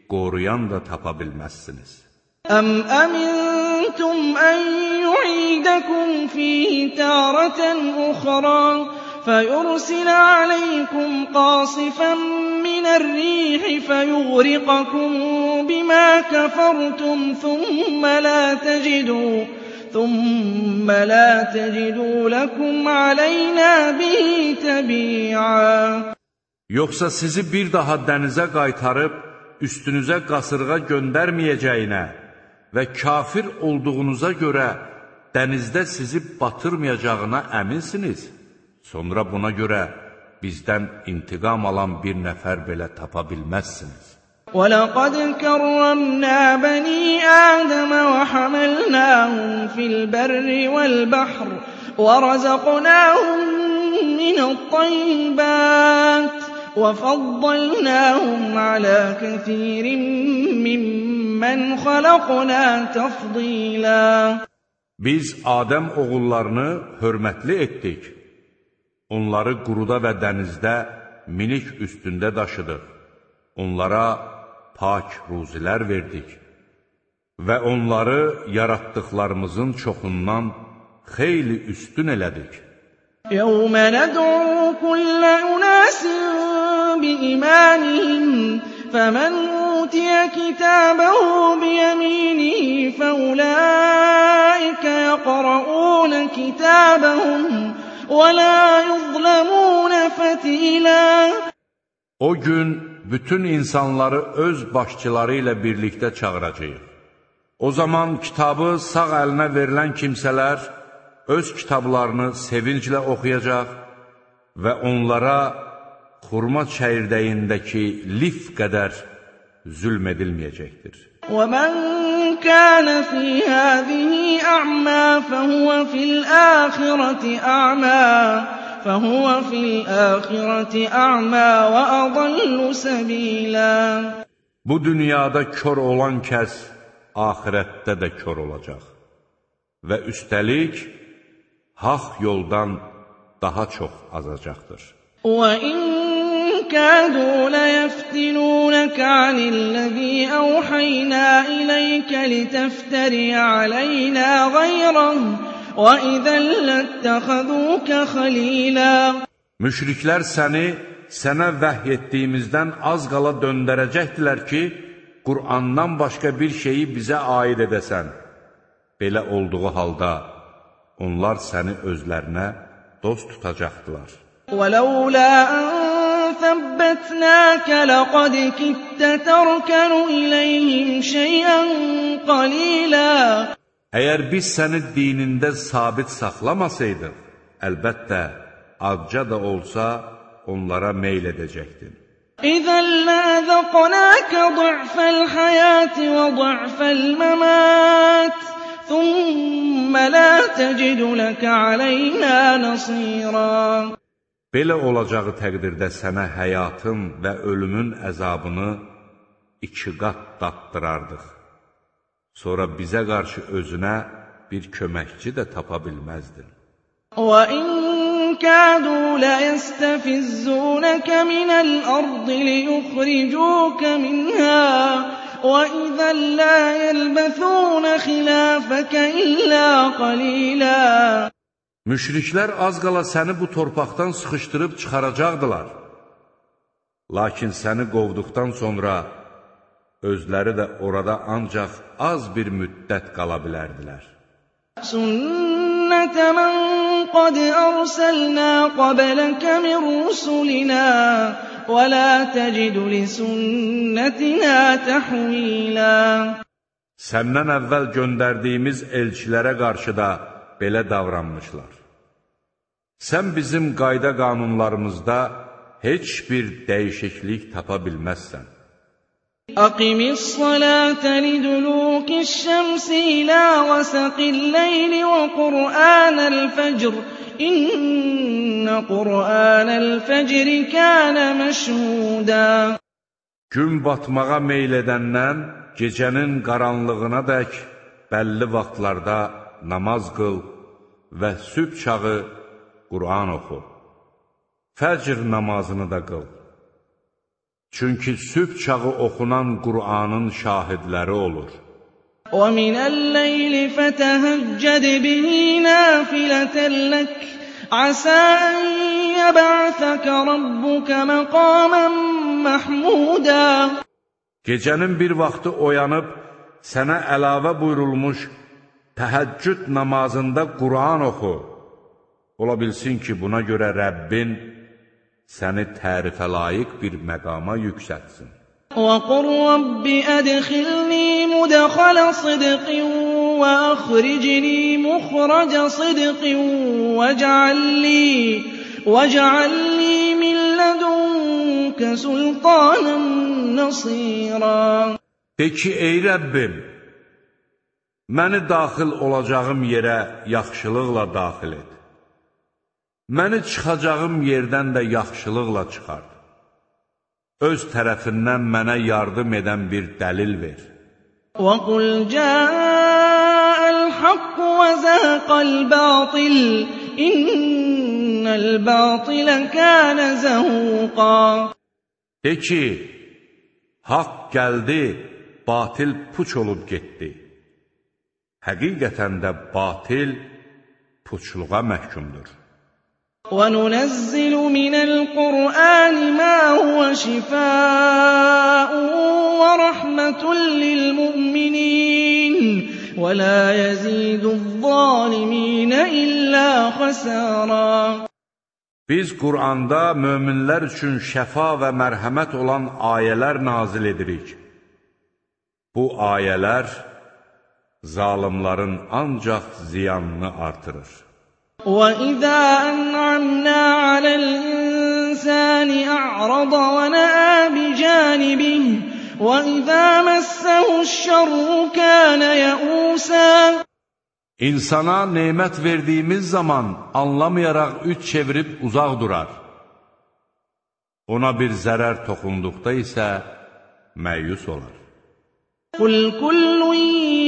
Speaker 1: qoruyan da tapa bilməzsiniz.
Speaker 2: أَمْ أَمِنْتُمْ أَنْ يُعِيدَكُمْ فِيهِ تَارَةً أُخْرَى فَيُرْسِلَ عَلَيْكُمْ قَاصِفًا مِنَ الرِّيحِ فَيُغْرِقَكُمْ بِمَا كَفَرْتُمْ ثُمَّ لَا تَجِدُوا ثُمَّ لَا تَجِدُوا لَكُمْ عَلَيْنَا بِهِ تَبِيعًا
Speaker 1: Yoxsa sizi bir daha dənizə qaytarıb, üstünüzə qasırğa göndərməyəcəyinə və kafir olduğunuza görə dənizdə sizi batırmayacağına əminsiniz. Sonra buna görə bizdən intiqam alan bir nəfər belə tapa bilməzsiniz.
Speaker 2: وَلَقَدْ كَرَّمْنَا بَنِي آدَمَ وَحَمَلْنَاهُمْ فِي الْبَرِّ وَالْبَحْرِ وَرَزَقْنَاهُمْ مِنَ الطَّيِّبَاتِ وَفَضَّلْنَاهُمْ عَلَى كَثِيرٍ مِّمَّنْ خَلَقْنَا تَفْضِيلًا
Speaker 1: Biz Adəm oğullarını hörmətli etdik. Onları quruda və dənizdə minik üstündə daşıdıq. Onlara pak ruzilər verdik və onları yaratdıqlarımızın çoxundan xeyli üstün elədik.
Speaker 2: يَوْمَ نَدْعُو كُلَّ أُنَاسٍ بِإِمَامِهِمْ فَمَنْ أُوتِيَ كِتَابَهُ بِيَمِينِهِ فَأُولَئِكَ يَقْرَؤُونَ كِتَابَهُمْ وَلَا يُظْلَمُونَ فَتِيلًا
Speaker 1: O gün bütün insanları öz başçıları ilə birlikdə çağıracağıq. O zaman kitabı sağ əlinə verilən kimsələr öz kitablarını sevinclə oxuyacaq və onlara xurma çəyirdəyindəki lif qədər zülm edilməyəcəkdir.
Speaker 2: وَمَنْ كَانَ فِي هَذِهِ أَعْمَى فَهُوَ فِي الْآخِرَةِ أَعْمَى فَهُوَ فِي الْآخِرَةِ أَعْمَى وَأَضَلُّ سَبِيلًا
Speaker 1: Bu dünyada kör olan kəs axirətdə də kör olacaq və üstəlik haqq yoldan daha çox azacaqdır.
Speaker 2: وَإِنْ كَادُوا لَيَفْتِنُونَكَ عَنِ الَّذِي أَوْحَيْنَا إِلَيْكَ لِتَفْتَرِيَ عَلَيْنَا غَيْرَهُ وَإِذًا لَاتَّخَذُوكَ خَلِيلًا
Speaker 1: Müşriklər səni sənə vəhy etdiyimizdən az qala döndərəcəkdilər ki, Qur'andan başqa bir şeyi bizə aid edəsən. Belə olduğu halda onlar səni özlərinə dost tutacaqdılar.
Speaker 2: وَلَوْلَا أَنْ ثَبَّتْنَاكَ لَقَدْ كِدتَّ تَرْكَنُ إِلَيْهِمْ شَيْئًا قَلِيلًا
Speaker 1: Əgər biz səni dinində sabit saxlamasaydıq, əlbəttə, azca da olsa onlara meyl edəcəkdin.
Speaker 2: إِذًا لَّأَذَقْنَاكَ ضِعْفَ الْحَيَاةِ وَضِعْفَ الْمَمَاتِ ثُمَّ لَا تَجِدُ لَكَ عَلَيْنَا نَصِيرًا
Speaker 1: Belə olacağı təqdirdə sənə həyatın və ölümün əzabını iki qat daddırardıq. Sonra bizə qarşı özünə bir köməkçi də tapa bilməzdin.
Speaker 2: وَإِنْ كَادُوا لَيَسْتَفِزُّونَكَ مِنَ الْأَرْضِ لِيُخْرِجُوكَ مِنْهَا وَإِذًا لَّا يَلْبَثُونَ خِلَافَكَ إِلَّا قَلِيلًا
Speaker 1: Müşriklər az qala səni bu torpaqdan sıxışdırıb çıxaracaqdılar. Lakin səni qovduqdan sonra özləri də orada ancaq az bir müddət qala bilərdilər.
Speaker 2: سُنَّةَ مَنْ قَدْ أَرْسَلْنَا قَبْلَكَ مِنْ رُسُلِنَا وَلَا تَجِدُ لِسُنَّتِنَا تَحْوِيلًا
Speaker 1: Səndən əvvəl göndərdiyimiz elçilərə qarşı da belə davranmışlar. Sən bizim qayda qanunlarımızda heç bir dəyişiklik tapa bilməzsən.
Speaker 2: Aqimis salata lidulukiş şemsi ila gasaqil leyli ve Kur'anel fecr. İnne Kur'anel fecri kana meşhuda.
Speaker 1: Gün batmağa meyl edəndən gecənin qaranlığına dək bəlli vaxtlarda namaz qıl və sübh çağı Qur'an oxu. Fəcr namazını da qıl. Çünki sübh çağı oxunan Qur'anın şahidləri olur.
Speaker 2: وَمِنَ اللَّيْلِ فَتَهَجَّدْ بِهِ نَافِلَةً لَكَ عَسَىٰ أَن يَبْعَثَكَ رَبُّكَ مَقَامًا مَحْمُودًا.
Speaker 1: Gecənin bir vaxtı oyanıb sənə əlavə buyurulmuş təhəccüd namazında Qur'an oxu. Ola bilsin ki, buna görə Rəbbin səni tərifə layiq bir məqama yüksətsin.
Speaker 2: وَقُلْ رَبِّ أَدْخِلْنِي مُدْخَلَ صِدْقٍ وَأَخْرِجْنِي مُخْرَجَ صِدْقٍ وَاجْعَل لِّي وَاجْعَل لِّي مِن لَّدُنكَ سُلْطَانًا نَّصِيرًا.
Speaker 1: De ki, ey Rəbbim, məni daxil olacağım yerə yaxşılıqla daxil et. Məni çıxacağım yerdən də yaxşılıqla çıxart. Öz tərəfindən mənə yardım edən bir dəlil ver.
Speaker 2: وَقُلْ جَاءَ الْحَقُّ وَزَهَقَ الْبَاطِلُ إِنَّ الْبَاطِلَ كَانَ زَهُوقًا.
Speaker 1: De ki, haqq gəldi, batil puç olub getdi. Həqiqətən də batil puçluğa məhkumdur.
Speaker 2: وَنُنَزِّلُ مِنَ الْقُرْآنِ مَا هُوَ شِفَاءٌ وَرَحْمَةٌ لِّلْمُؤْمِنِينَ وَلَا يَزِيدُ الظَّالِمِينَ إِلَّا خَسَارًا.
Speaker 1: Biz Qur'anda möminlər üçün şəfa və mərhəmət olan ayələr nazil edirik. Bu ayələr zalimların ancaq ziyanını artırır.
Speaker 2: وَإِذَا أَنْعَمْنَا عَلَى الْإِنسَانِ أَعْرَضَ وَنَأَىٰ بِجَانِبِهِ وَإِذَا مَسَّهُ الشَّرُّ كَانَ يَئُوسًا.
Speaker 1: İnsana nemət verdiyimiz zaman anlamayaraq üç çevirib uzaq durar. Ona bir zərər toxunduqda isə məyus olar.
Speaker 2: قُلْ كُلٌّ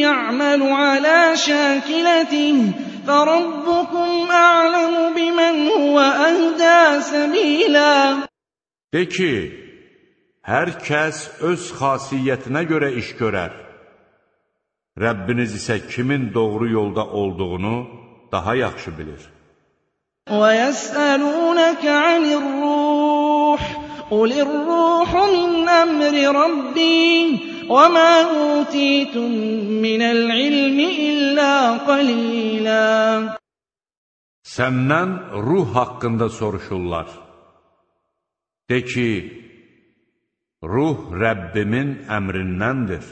Speaker 2: يَعْمَلُ عَلَى شَاكِلَتِهِ فَرَبُّكُمْ أَعْلَمُ بِمَنْ هُوَ أَهْدَىٰ سَبِيلًا.
Speaker 1: De ki, hər kəs öz xasiyyətinə görə iş görər. Rəbbiniz isə kimin doğru yolda olduğunu daha yaxşı bilir.
Speaker 2: وَيَسْأَلُونَكَ عَنِ الرُّوحِ قُلِ الرُّوحُ مِنْ أَمْرِ رَبِّي وَمَا أُوتِيتُم مِّنَ الْعِلْمِ إِلَّا قَلِيلًا.
Speaker 1: Səndən ruh haqqında soruşurlar. De ki, ruh Rəbbimin əmrindəndir.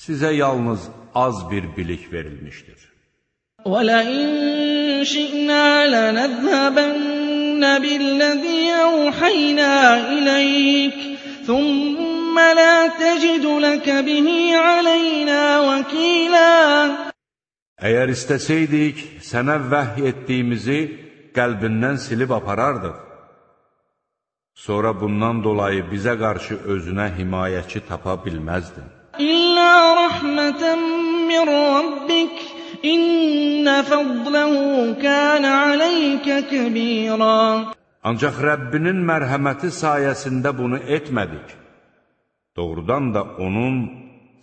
Speaker 1: Sizə yalnız az bir bilik verilmişdir.
Speaker 2: وَلَئِن شِئْنَا لَنَذْهَبَنَّ بِالَّذِي أَوْحَيْنَا إِلَيْكَ ثُمَّ لَا تَجِدُ لَكَ بِهِ عَلَيْنَا وَكِيلًا.
Speaker 1: Əgər istəsəydik, sənə vəhy etdiyimizi qəlbindən silib aparardıq. Sonra bundan dolayı bizə qarşı özünə himayəçi tapa bilməzdin.
Speaker 2: إِلَّا رَحْمَةً مِّن رَّبِّكَ إِنَّ فَضْلَهُ كَانَ عَلَيْكَ كَبِيرًا.
Speaker 1: Ancaq Rəbbinin mərhəməti sayəsində bunu etmədik. Doğrudan da onun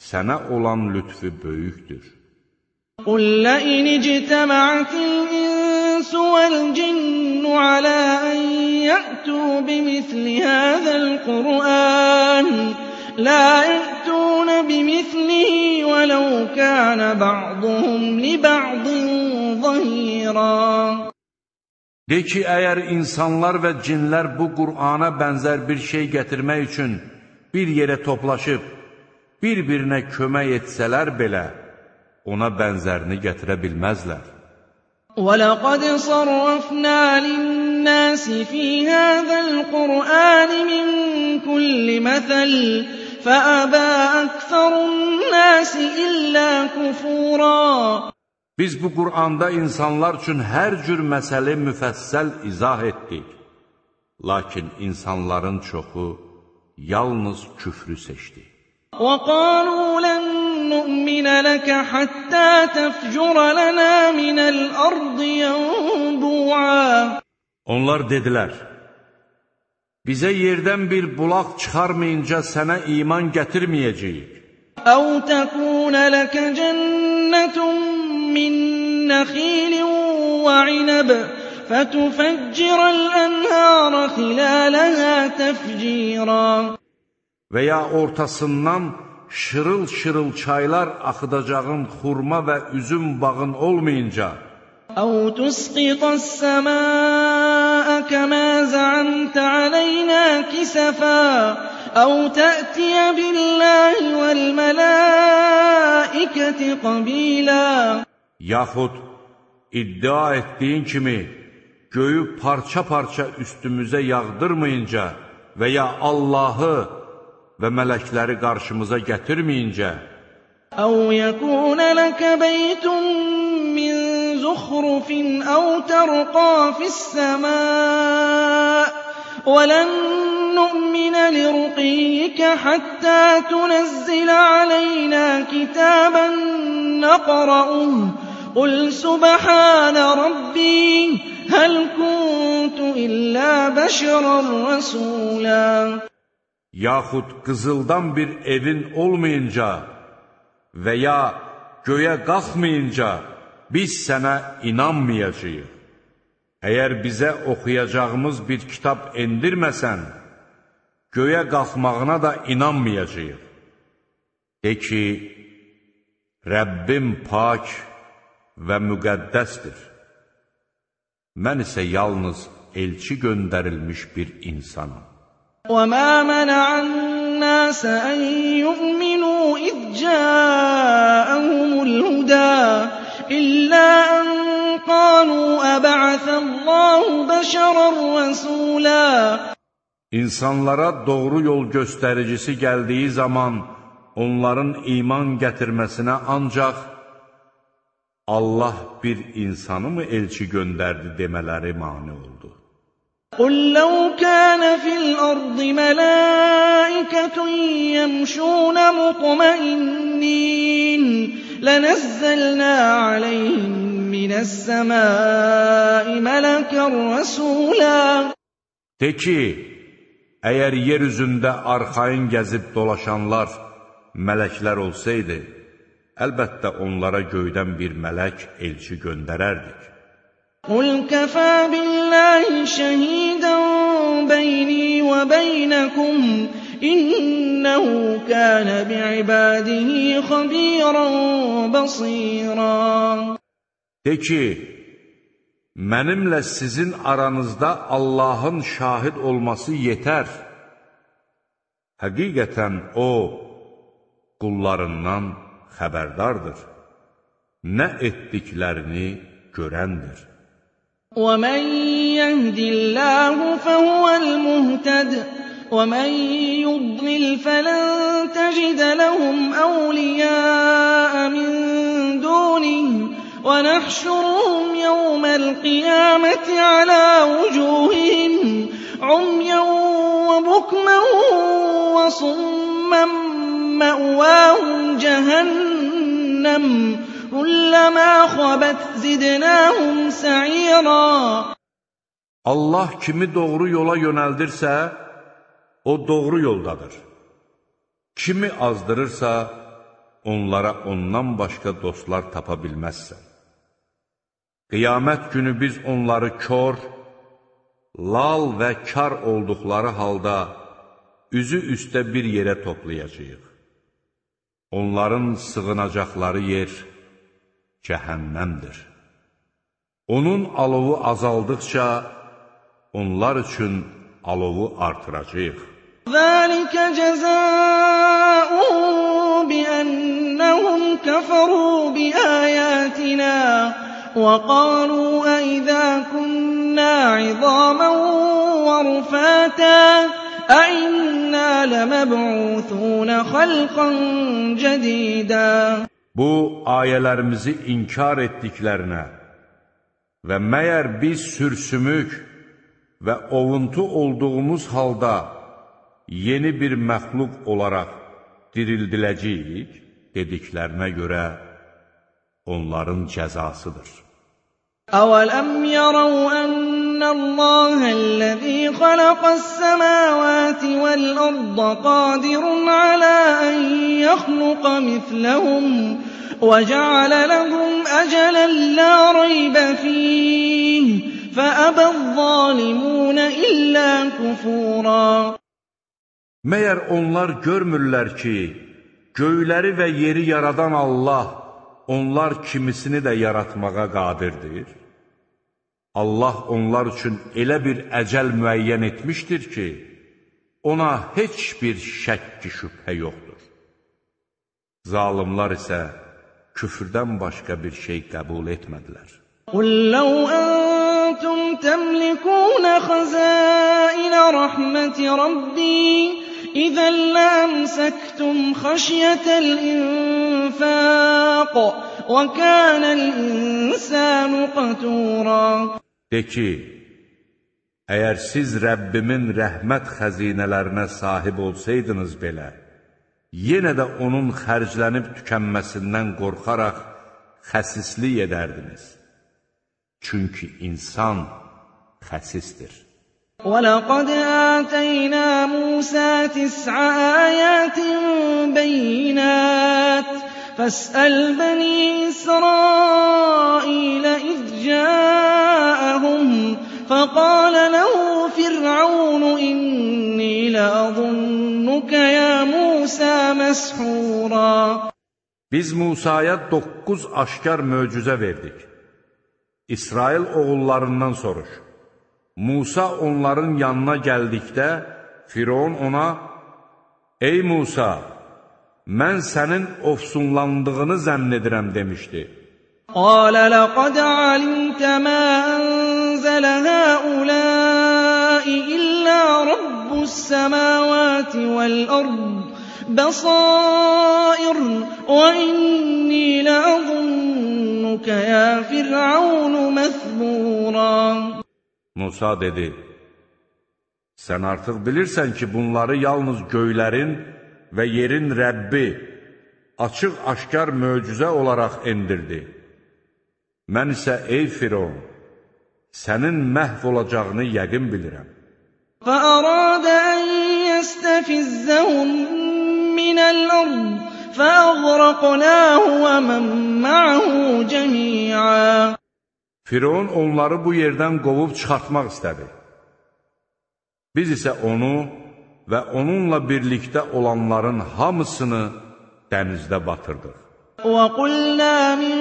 Speaker 1: sənə olan lütfü böyükdür.
Speaker 2: قُل لَّئِنِ اجْتَمَعَتِ الْإِنسُ وَالْجِنُّ عَلَىٰ أَن يَأْتُوا بِمِثْلِ هَٰذَا الْقُرْآنِ لَا يَأْتُونَ بِمِثْلِهِ وَلَوْ كَانَ بَعْضُهُمْ لِبَعْضٍ ظَهِيرًا.
Speaker 1: De ki, əgər insanlar və cinlər bu Qur'ana bənzər bir şey gətirmək üçün bir yerə toplaşıb, bir-birinə kömək etsələr belə, ona bənzərini gətirə bilməzlər.
Speaker 2: وَلَقَدْ صَرَّفْنَا لِلنَّاسِ النَّاسِ فِي هَٰذَا الْقُرْآنِ مِن كُلِّ مَثَلٍ فَأَبَىٰ أَكْثَرُ النَّاسِ إِلَّا كُفُورًا.
Speaker 1: Biz bu Qur'anda insanlar üçün hər cür məsələ müfəssəl izah etdik. Lakin insanların çoxu yalnız küfrü seçdi.
Speaker 2: وَقَالُوا لَن نُّؤْمِنَ لَكَ حَتَّىٰ تَفْجُرَ لَنَا مِنَ الْأَرْضِ يَنبُوعًا.
Speaker 1: Onlar dedilər, bizə yerdən bir bulaq çıxarmayınca sənə iman gətirməyəcəyik.
Speaker 2: أَوْ تَكُونَ لَكَ جَنَّةٌ مِّن نَّخِيلٍ وَعِنَبٍ فَتُفَجِّرَ الْأَنْهَارَ خِلَالَهَا تَفْجِيرًا.
Speaker 1: Və ya ortasından şırıl-şırıl çaylar axıdacağın xurma və üzüm bağın olmayınca,
Speaker 2: أَوْ تُسْقِطَ السَّمَاءَ كَمَا زَعَمْتَ عَلَيْنَا كِسَفًا أَوْ تَأْتِيَ بِاللَّهِ وَالْمَلَائِكَةِ قَبِيلًا.
Speaker 1: Yaxud iddia etdiyin kimi göyü parça-parça üstümüzə yağdırmayınca və ya Allahı və mələkləri qarşımıza gətirməyincə,
Speaker 2: أَوْ يَكُونَ لَكَ بَيْتٌ مِّن زُخْرُفٍ أَوْ تَرْقَىٰ فِي السَّمَاءِ وَلَن نُّؤْمِنَ لِرُقِيِّكَ حَتَّىٰ تُنَزِّلَ عَلَيْنَا كِتَابًا نَّقْرَؤُهُ قُلْ سُبْحَانَ رَبِّي هَلْ كُنتُ إِلَّا بَشَرًا رَّسُولًا.
Speaker 1: Yaxud qızıldan bir evin olmayınca və ya göyə qalxmayınca biz sənə inanmayacağıq. Əgər bizə oxuyacağımız bir kitab endirməsən, göyə qalxmağına da inanmayacağıq. De ki, Rəbbim pak və müqəddəsdir. Mən isə yalnız elçi göndərilmiş bir insanım.
Speaker 2: وَمَا مَنَعَ النَّاسَ أَن يُؤْمِنُوا إِذْ جَاءَهُمُ الْهُدَىٰ إِلَّا أَن قَالُوا أَبَعَثَ اللَّهُ بَشَرًا رَّسُولًا.
Speaker 1: İnsanlara doğru yol göstəricisi gəldiyi zaman onların iman gətirməsinə ancaq Allah bir insanı mı elçi göndərdi demələri mane oldu.
Speaker 2: قُل لَّوْ كَانَ فِي الْأَرْضِ مَلَائِكَةٌ يَمْشُونَ مُطْمَئِنِّينَ لَنَزَّلْنَا عَلَيْهِم مِّنَ السَّمَاءِ مَلَكًا رَّسُولًا.
Speaker 1: De ki, əgər yer üzündə arxayın gəzib dolaşanlar mələklər olsaydı, əlbəttə onlara göydən bir mələk elçi göndərərdik.
Speaker 2: قُلْ كَفَىٰ بِاللَّهِ شَهِيدًا بَيْنِي وَبَيْنَكُمْ إِنَّهُ كَانَ بِعِبَادِهِ خَبِيرًا بَصِيرًا.
Speaker 1: De ki, mənimlə sizin aranızda Allahın şahid olması yetər. Həqiqətən O, qullarından xəbərdardır. Nə etdiklərini görəndir.
Speaker 2: وَمَن يَهْدِ اللَّهُ فَهُوَ الْمُهْتَدِ وَمَن يُضْلِلْ فَلَن تَجِدَ لَهُمْ أَوْلِيَاءَ مِن دُونِهِ وَنَحْشُرُهُمْ يَوْمَ الْقِيَامَةِ عَلَىٰ وُجُوهِهِمْ عُمْيًا وَبُكْمًا وَصُمًّا مَّأْوَاهُمْ جَهَنَّمُ كُلَّمَا خَبَتْ زِدْنَاهُمْ سَعِيرًا.
Speaker 1: Allah kimi doğru yola yönəldirsə, o doğru yoldadır. Kimi azdırırsa, onlara ondan başqa dostlar tapa bilməzsən. Qiyamət günü biz onları kör, lal və kar olduqları halda üzü üstə bir yerə toplayacağıq. Onların sığınacaqları yer cəhənnəmdir. Onun alovu azaldıqca onlar üçün alovu artıracağıq.
Speaker 2: ذَٰلِكَ جَزَاؤُهُم بِأَنَّهُمْ كَفَرُوا بِآيَاتِنَا وَقَالُوا أَإِذَا كُنَّا كُنَّا عِظَامًا وَرُفَاتًا أَإِنَّا لَمَبْعُوثُونَ خَلْقًا جَدِيدًا.
Speaker 1: Bu ayələrimizi inkar etdiklərinə və məyər biz sürsümük və ovuntu olduğumuz halda yeni bir məxluq olaraq dirildiləcəyik dediklərinə görə onların cəzasıdır.
Speaker 2: أَوَلَمْ يَرَوْا أَنَّ اللَّهَ الَّذِي خَلَقَ السَّمَاوَاتِ وَالْأَرْضَ قَادِرٌ عَلَىٰ أَن يَخْلُقَ مِثْلَهُمْ وَجَعَلَ لَهُمْ أَجَلًا لَّا رَيْبَ فِيهِ فَأَبَى الظَّالِمُونَ إِلَّا كُفُورًا.
Speaker 1: Məyər onlar görmürlər ki, göyləri və yeri yaradan Allah onlar kimisini də yaratmağa qadirdir? Allah onlar üçün elə bir əcəl müəyyən etmişdir ki, ona heç bir şəkk-i şübhə yoxdur. Zalimlar isə küfrdən başqa bir şey qəbul etmədilər.
Speaker 2: قُلْ لَوْ أَنْتُمْ تَمْلِكُونَ خَزَائِنَ رَحْمَةِ رَبِّي إِذًا لَّأَمْسَكْتُمْ خَشْيَةَ الْإِنفَاقِ وَكَانَ الْإِنسَانُ قَتُورًا.
Speaker 1: De ki, əgər siz Rəbbimin rəhmət xəzinələrinə sahib olsaydınız belə, yenə də onun xərclənib tükənməsindən qorxaraq xəsislik edərdiniz. Çünki insan xəsisdir.
Speaker 2: وَلَقَدْ آتَيْنَا مُوسَىٰ تِسْعَ آيَاتٍ بَيِّنَاتٍ فَاسْأَلْ بَنِي إِسْرَائِيلَ إِذْ جَاءَهُمْ فَقَالَ لَهُ فِرْعَوْنُ إِنِّي لَأَظُنُّكَ يَا مُوسَىٰ مَسْحُورًا.
Speaker 1: Biz Musaya doqquz aşkar möcüzə verdik. İsrail oğullarından soruş. Musa onların yanına gəldikdə, Firon ona, ey Musa, mən sənin ofsunlandığını zənn edirəm demişdi.
Speaker 2: قَالَ لَقَدْ عَلِمْتَ مَا أَنزَلَ هَٰؤُلَاءِ إِلَّا رَبُّ السَّمَاوَاتِ وَالْأَرْضِ بَصَائِرَ وَإِنِّي لَأَظُنُّكَ يَا فِرْعَوْنُ مَثْبُورًا.
Speaker 1: Musa dedi, sən artıq bilirsən ki, bunları yalnız göylərin və yerin Rəbbi açıq-aşkar möcüzə olaraq endirdi. Mən isə, ey Firon, sənin məhv olacağını yəqin bilirəm.
Speaker 2: فَأَرَادَ أَن يَسْتَفِزَّهُم مِّنَ الْأَرْضِ فَأَغْرَقْنَاهُ وَمَن مَّعَهُ جَمِيعًا.
Speaker 1: Firon onları bu yerdən qovub çıxartmaq istədi. Biz isə onu və onunla birlikdə olanların hamısını dənizdə batırdıq.
Speaker 2: وَقُلْنَا مِن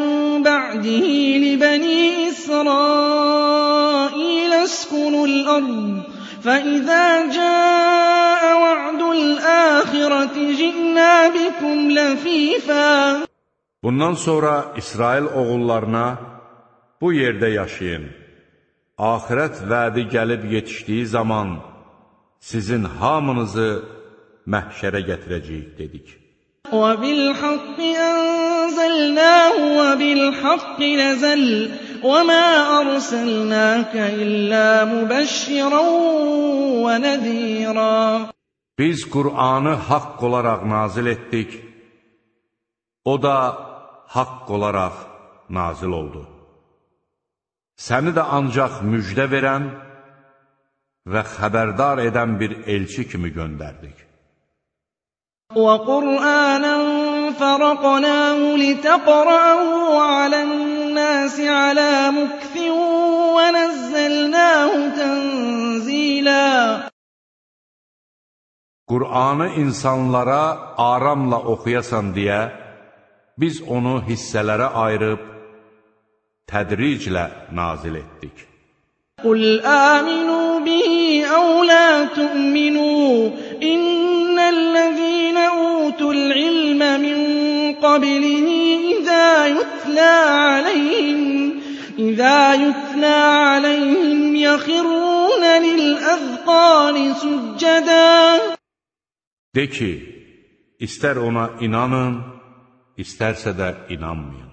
Speaker 2: بَعْدِهِ لِبَنِي إِسْرَائِيلَ اسْكُنُوا الْأَرْضَ فَإِذَا جَاءَ وَعْدُ الْآخِرَةِ جِئْنَا بِكُمْ لَفِيفًا.
Speaker 1: Bundan sonra İsrail oğullarına, bu yerdə yaşayın. Axirət vədi gəlib yetişdiyi zaman sizin hamınızı məhşərə gətirəcəyik dedik.
Speaker 2: وَبِالْحَقِّ أَنزَلْنَاهُ وَبِالْحَقِّ نَزَلَ وَمَا أَرْسَلْنَاكَ إِلَّا مُبَشِّرًا وَنَذِيرًا.
Speaker 1: Biz Qur'anı haqq olaraq nazil etdik. O da haqq olaraq nazil oldu. Səni də ancaq müjdə verən və xəbərdar edən bir elçi kimi göndərdik.
Speaker 2: وَقُرْآنًا فَرَقْنَاهُ لِتَقْرَأَهُ عَلَى النَّاسِ عَلَىٰ مُكْثٍ وَنَزَّلْنَاهُ تَنزِيلًا.
Speaker 1: Qur'anı insanlara aramla oxuyasan deyə, biz onu hissələrə ayırıb, tədriclə nazil etdik.
Speaker 2: قُلْ آمِنُوا بِهِ أَوْ لَا تُؤْمِنُوا إِنَّ الَّذِينَ أُوتُوا الْعِلْمَ مِن قَبْلِهِ إِذَا يُتْلَىٰ عَلَيْهِمْ إِذَا يُتْلَىٰ عَلَيْهِمْ يَخِرُّونَ لِلْأَذْقَانِ سُجَّدًا.
Speaker 1: De ki, istər ona inanın, istərsə də inanmayın.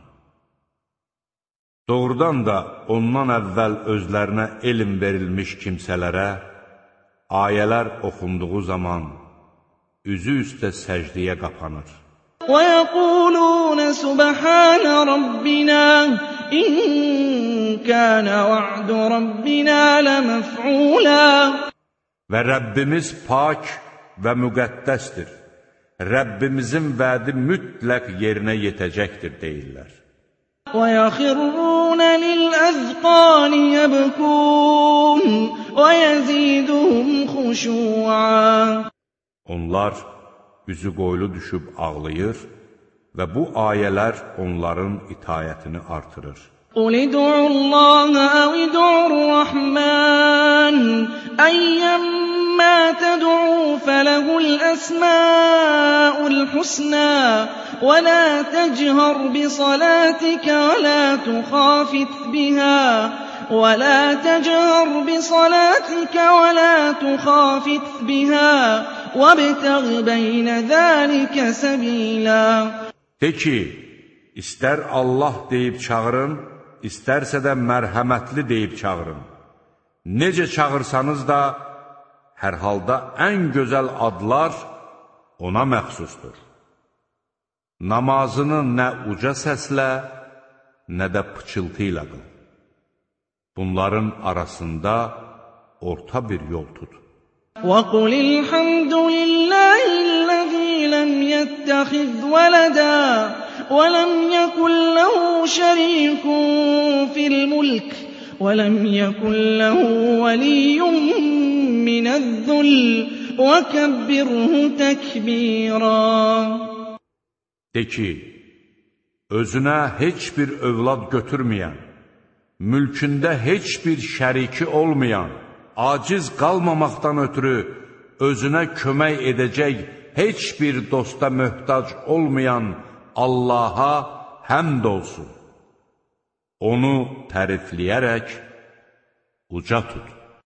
Speaker 1: Doğrudan da ondan əvvəl özlərinə elm verilmiş kimsələrə ayələr oxunduğu zaman üzü üstə səcdiyə qapanır.
Speaker 2: وَيَقُولُونَ سُبْحَانَ رَبِّنَا إِن كَانَ وَعْدُ رَبِّنَا لَمَفْعُولًا.
Speaker 1: Və Rəbbimiz pak və müqəddəsdir. Rəbbimizin vədi mütləq yerinə yetəcəkdir deyirlər.
Speaker 2: وَيَخِرُّونَ لِلْأَذْقَانِ يَبْكُونَ وَيَزِيدُهُمْ خُشُوعًا.
Speaker 1: Onlar üzü qoylu düşüb ağlayır və bu ayələr onların itayətini artırır.
Speaker 2: قُلِ ادْعُوا اللَّهَ أَوِ ادْعُوا الرَّحْمَٰنَ أَيًّمَّا تَدْعُوا فَلَهُ الْأَسْمَاءُ الْحُسْنَىٰ وَلَا تَجْهَرْ بِصَلَاتِكَ وَلَا تُخَافِتْ بِهَا وَلَا تَجْهَرْ بِصَلَاتِكَ وَلَا تُخَافِتْ بِهَا وَابْتَغِ بَيْنَ ذَٰلِكَ سَبِيلًا.
Speaker 1: De ki, istər Allah deyib çağırın, istərsə də mərhəmətli deyib çağırın. Necə çağırsanız da, hər halda ən gözəl adlar ona məxsusdur. Namazını nə uca səslə, nə də pıçıltı ilə qıl. Bunların arasında orta bir yol tut.
Speaker 2: وَقُلِ الْحَمْدُ لِلَّهِ الَّذِي لَمْ يَتَّخِذْ وَلَدًا وَلَمْ يَكُنْ لَهُ شَرِيكٌ فِي الْمُلْكِ وَلَمْ يَكُنْ لَهُ وَلِيٌّ مِّنَ الذُّلِّ وَكَبِّرْهُ تَكْبِيرًا.
Speaker 1: De ki, özünə heç bir övlad götürməyən, mülkündə heç bir şəriki olmayan, aciz qalmamaqdan ötürü özünə kömək edəcək heç bir dosta möhtac olmayan Allaha həmd olsun. Onu tərifləyərək uca tut.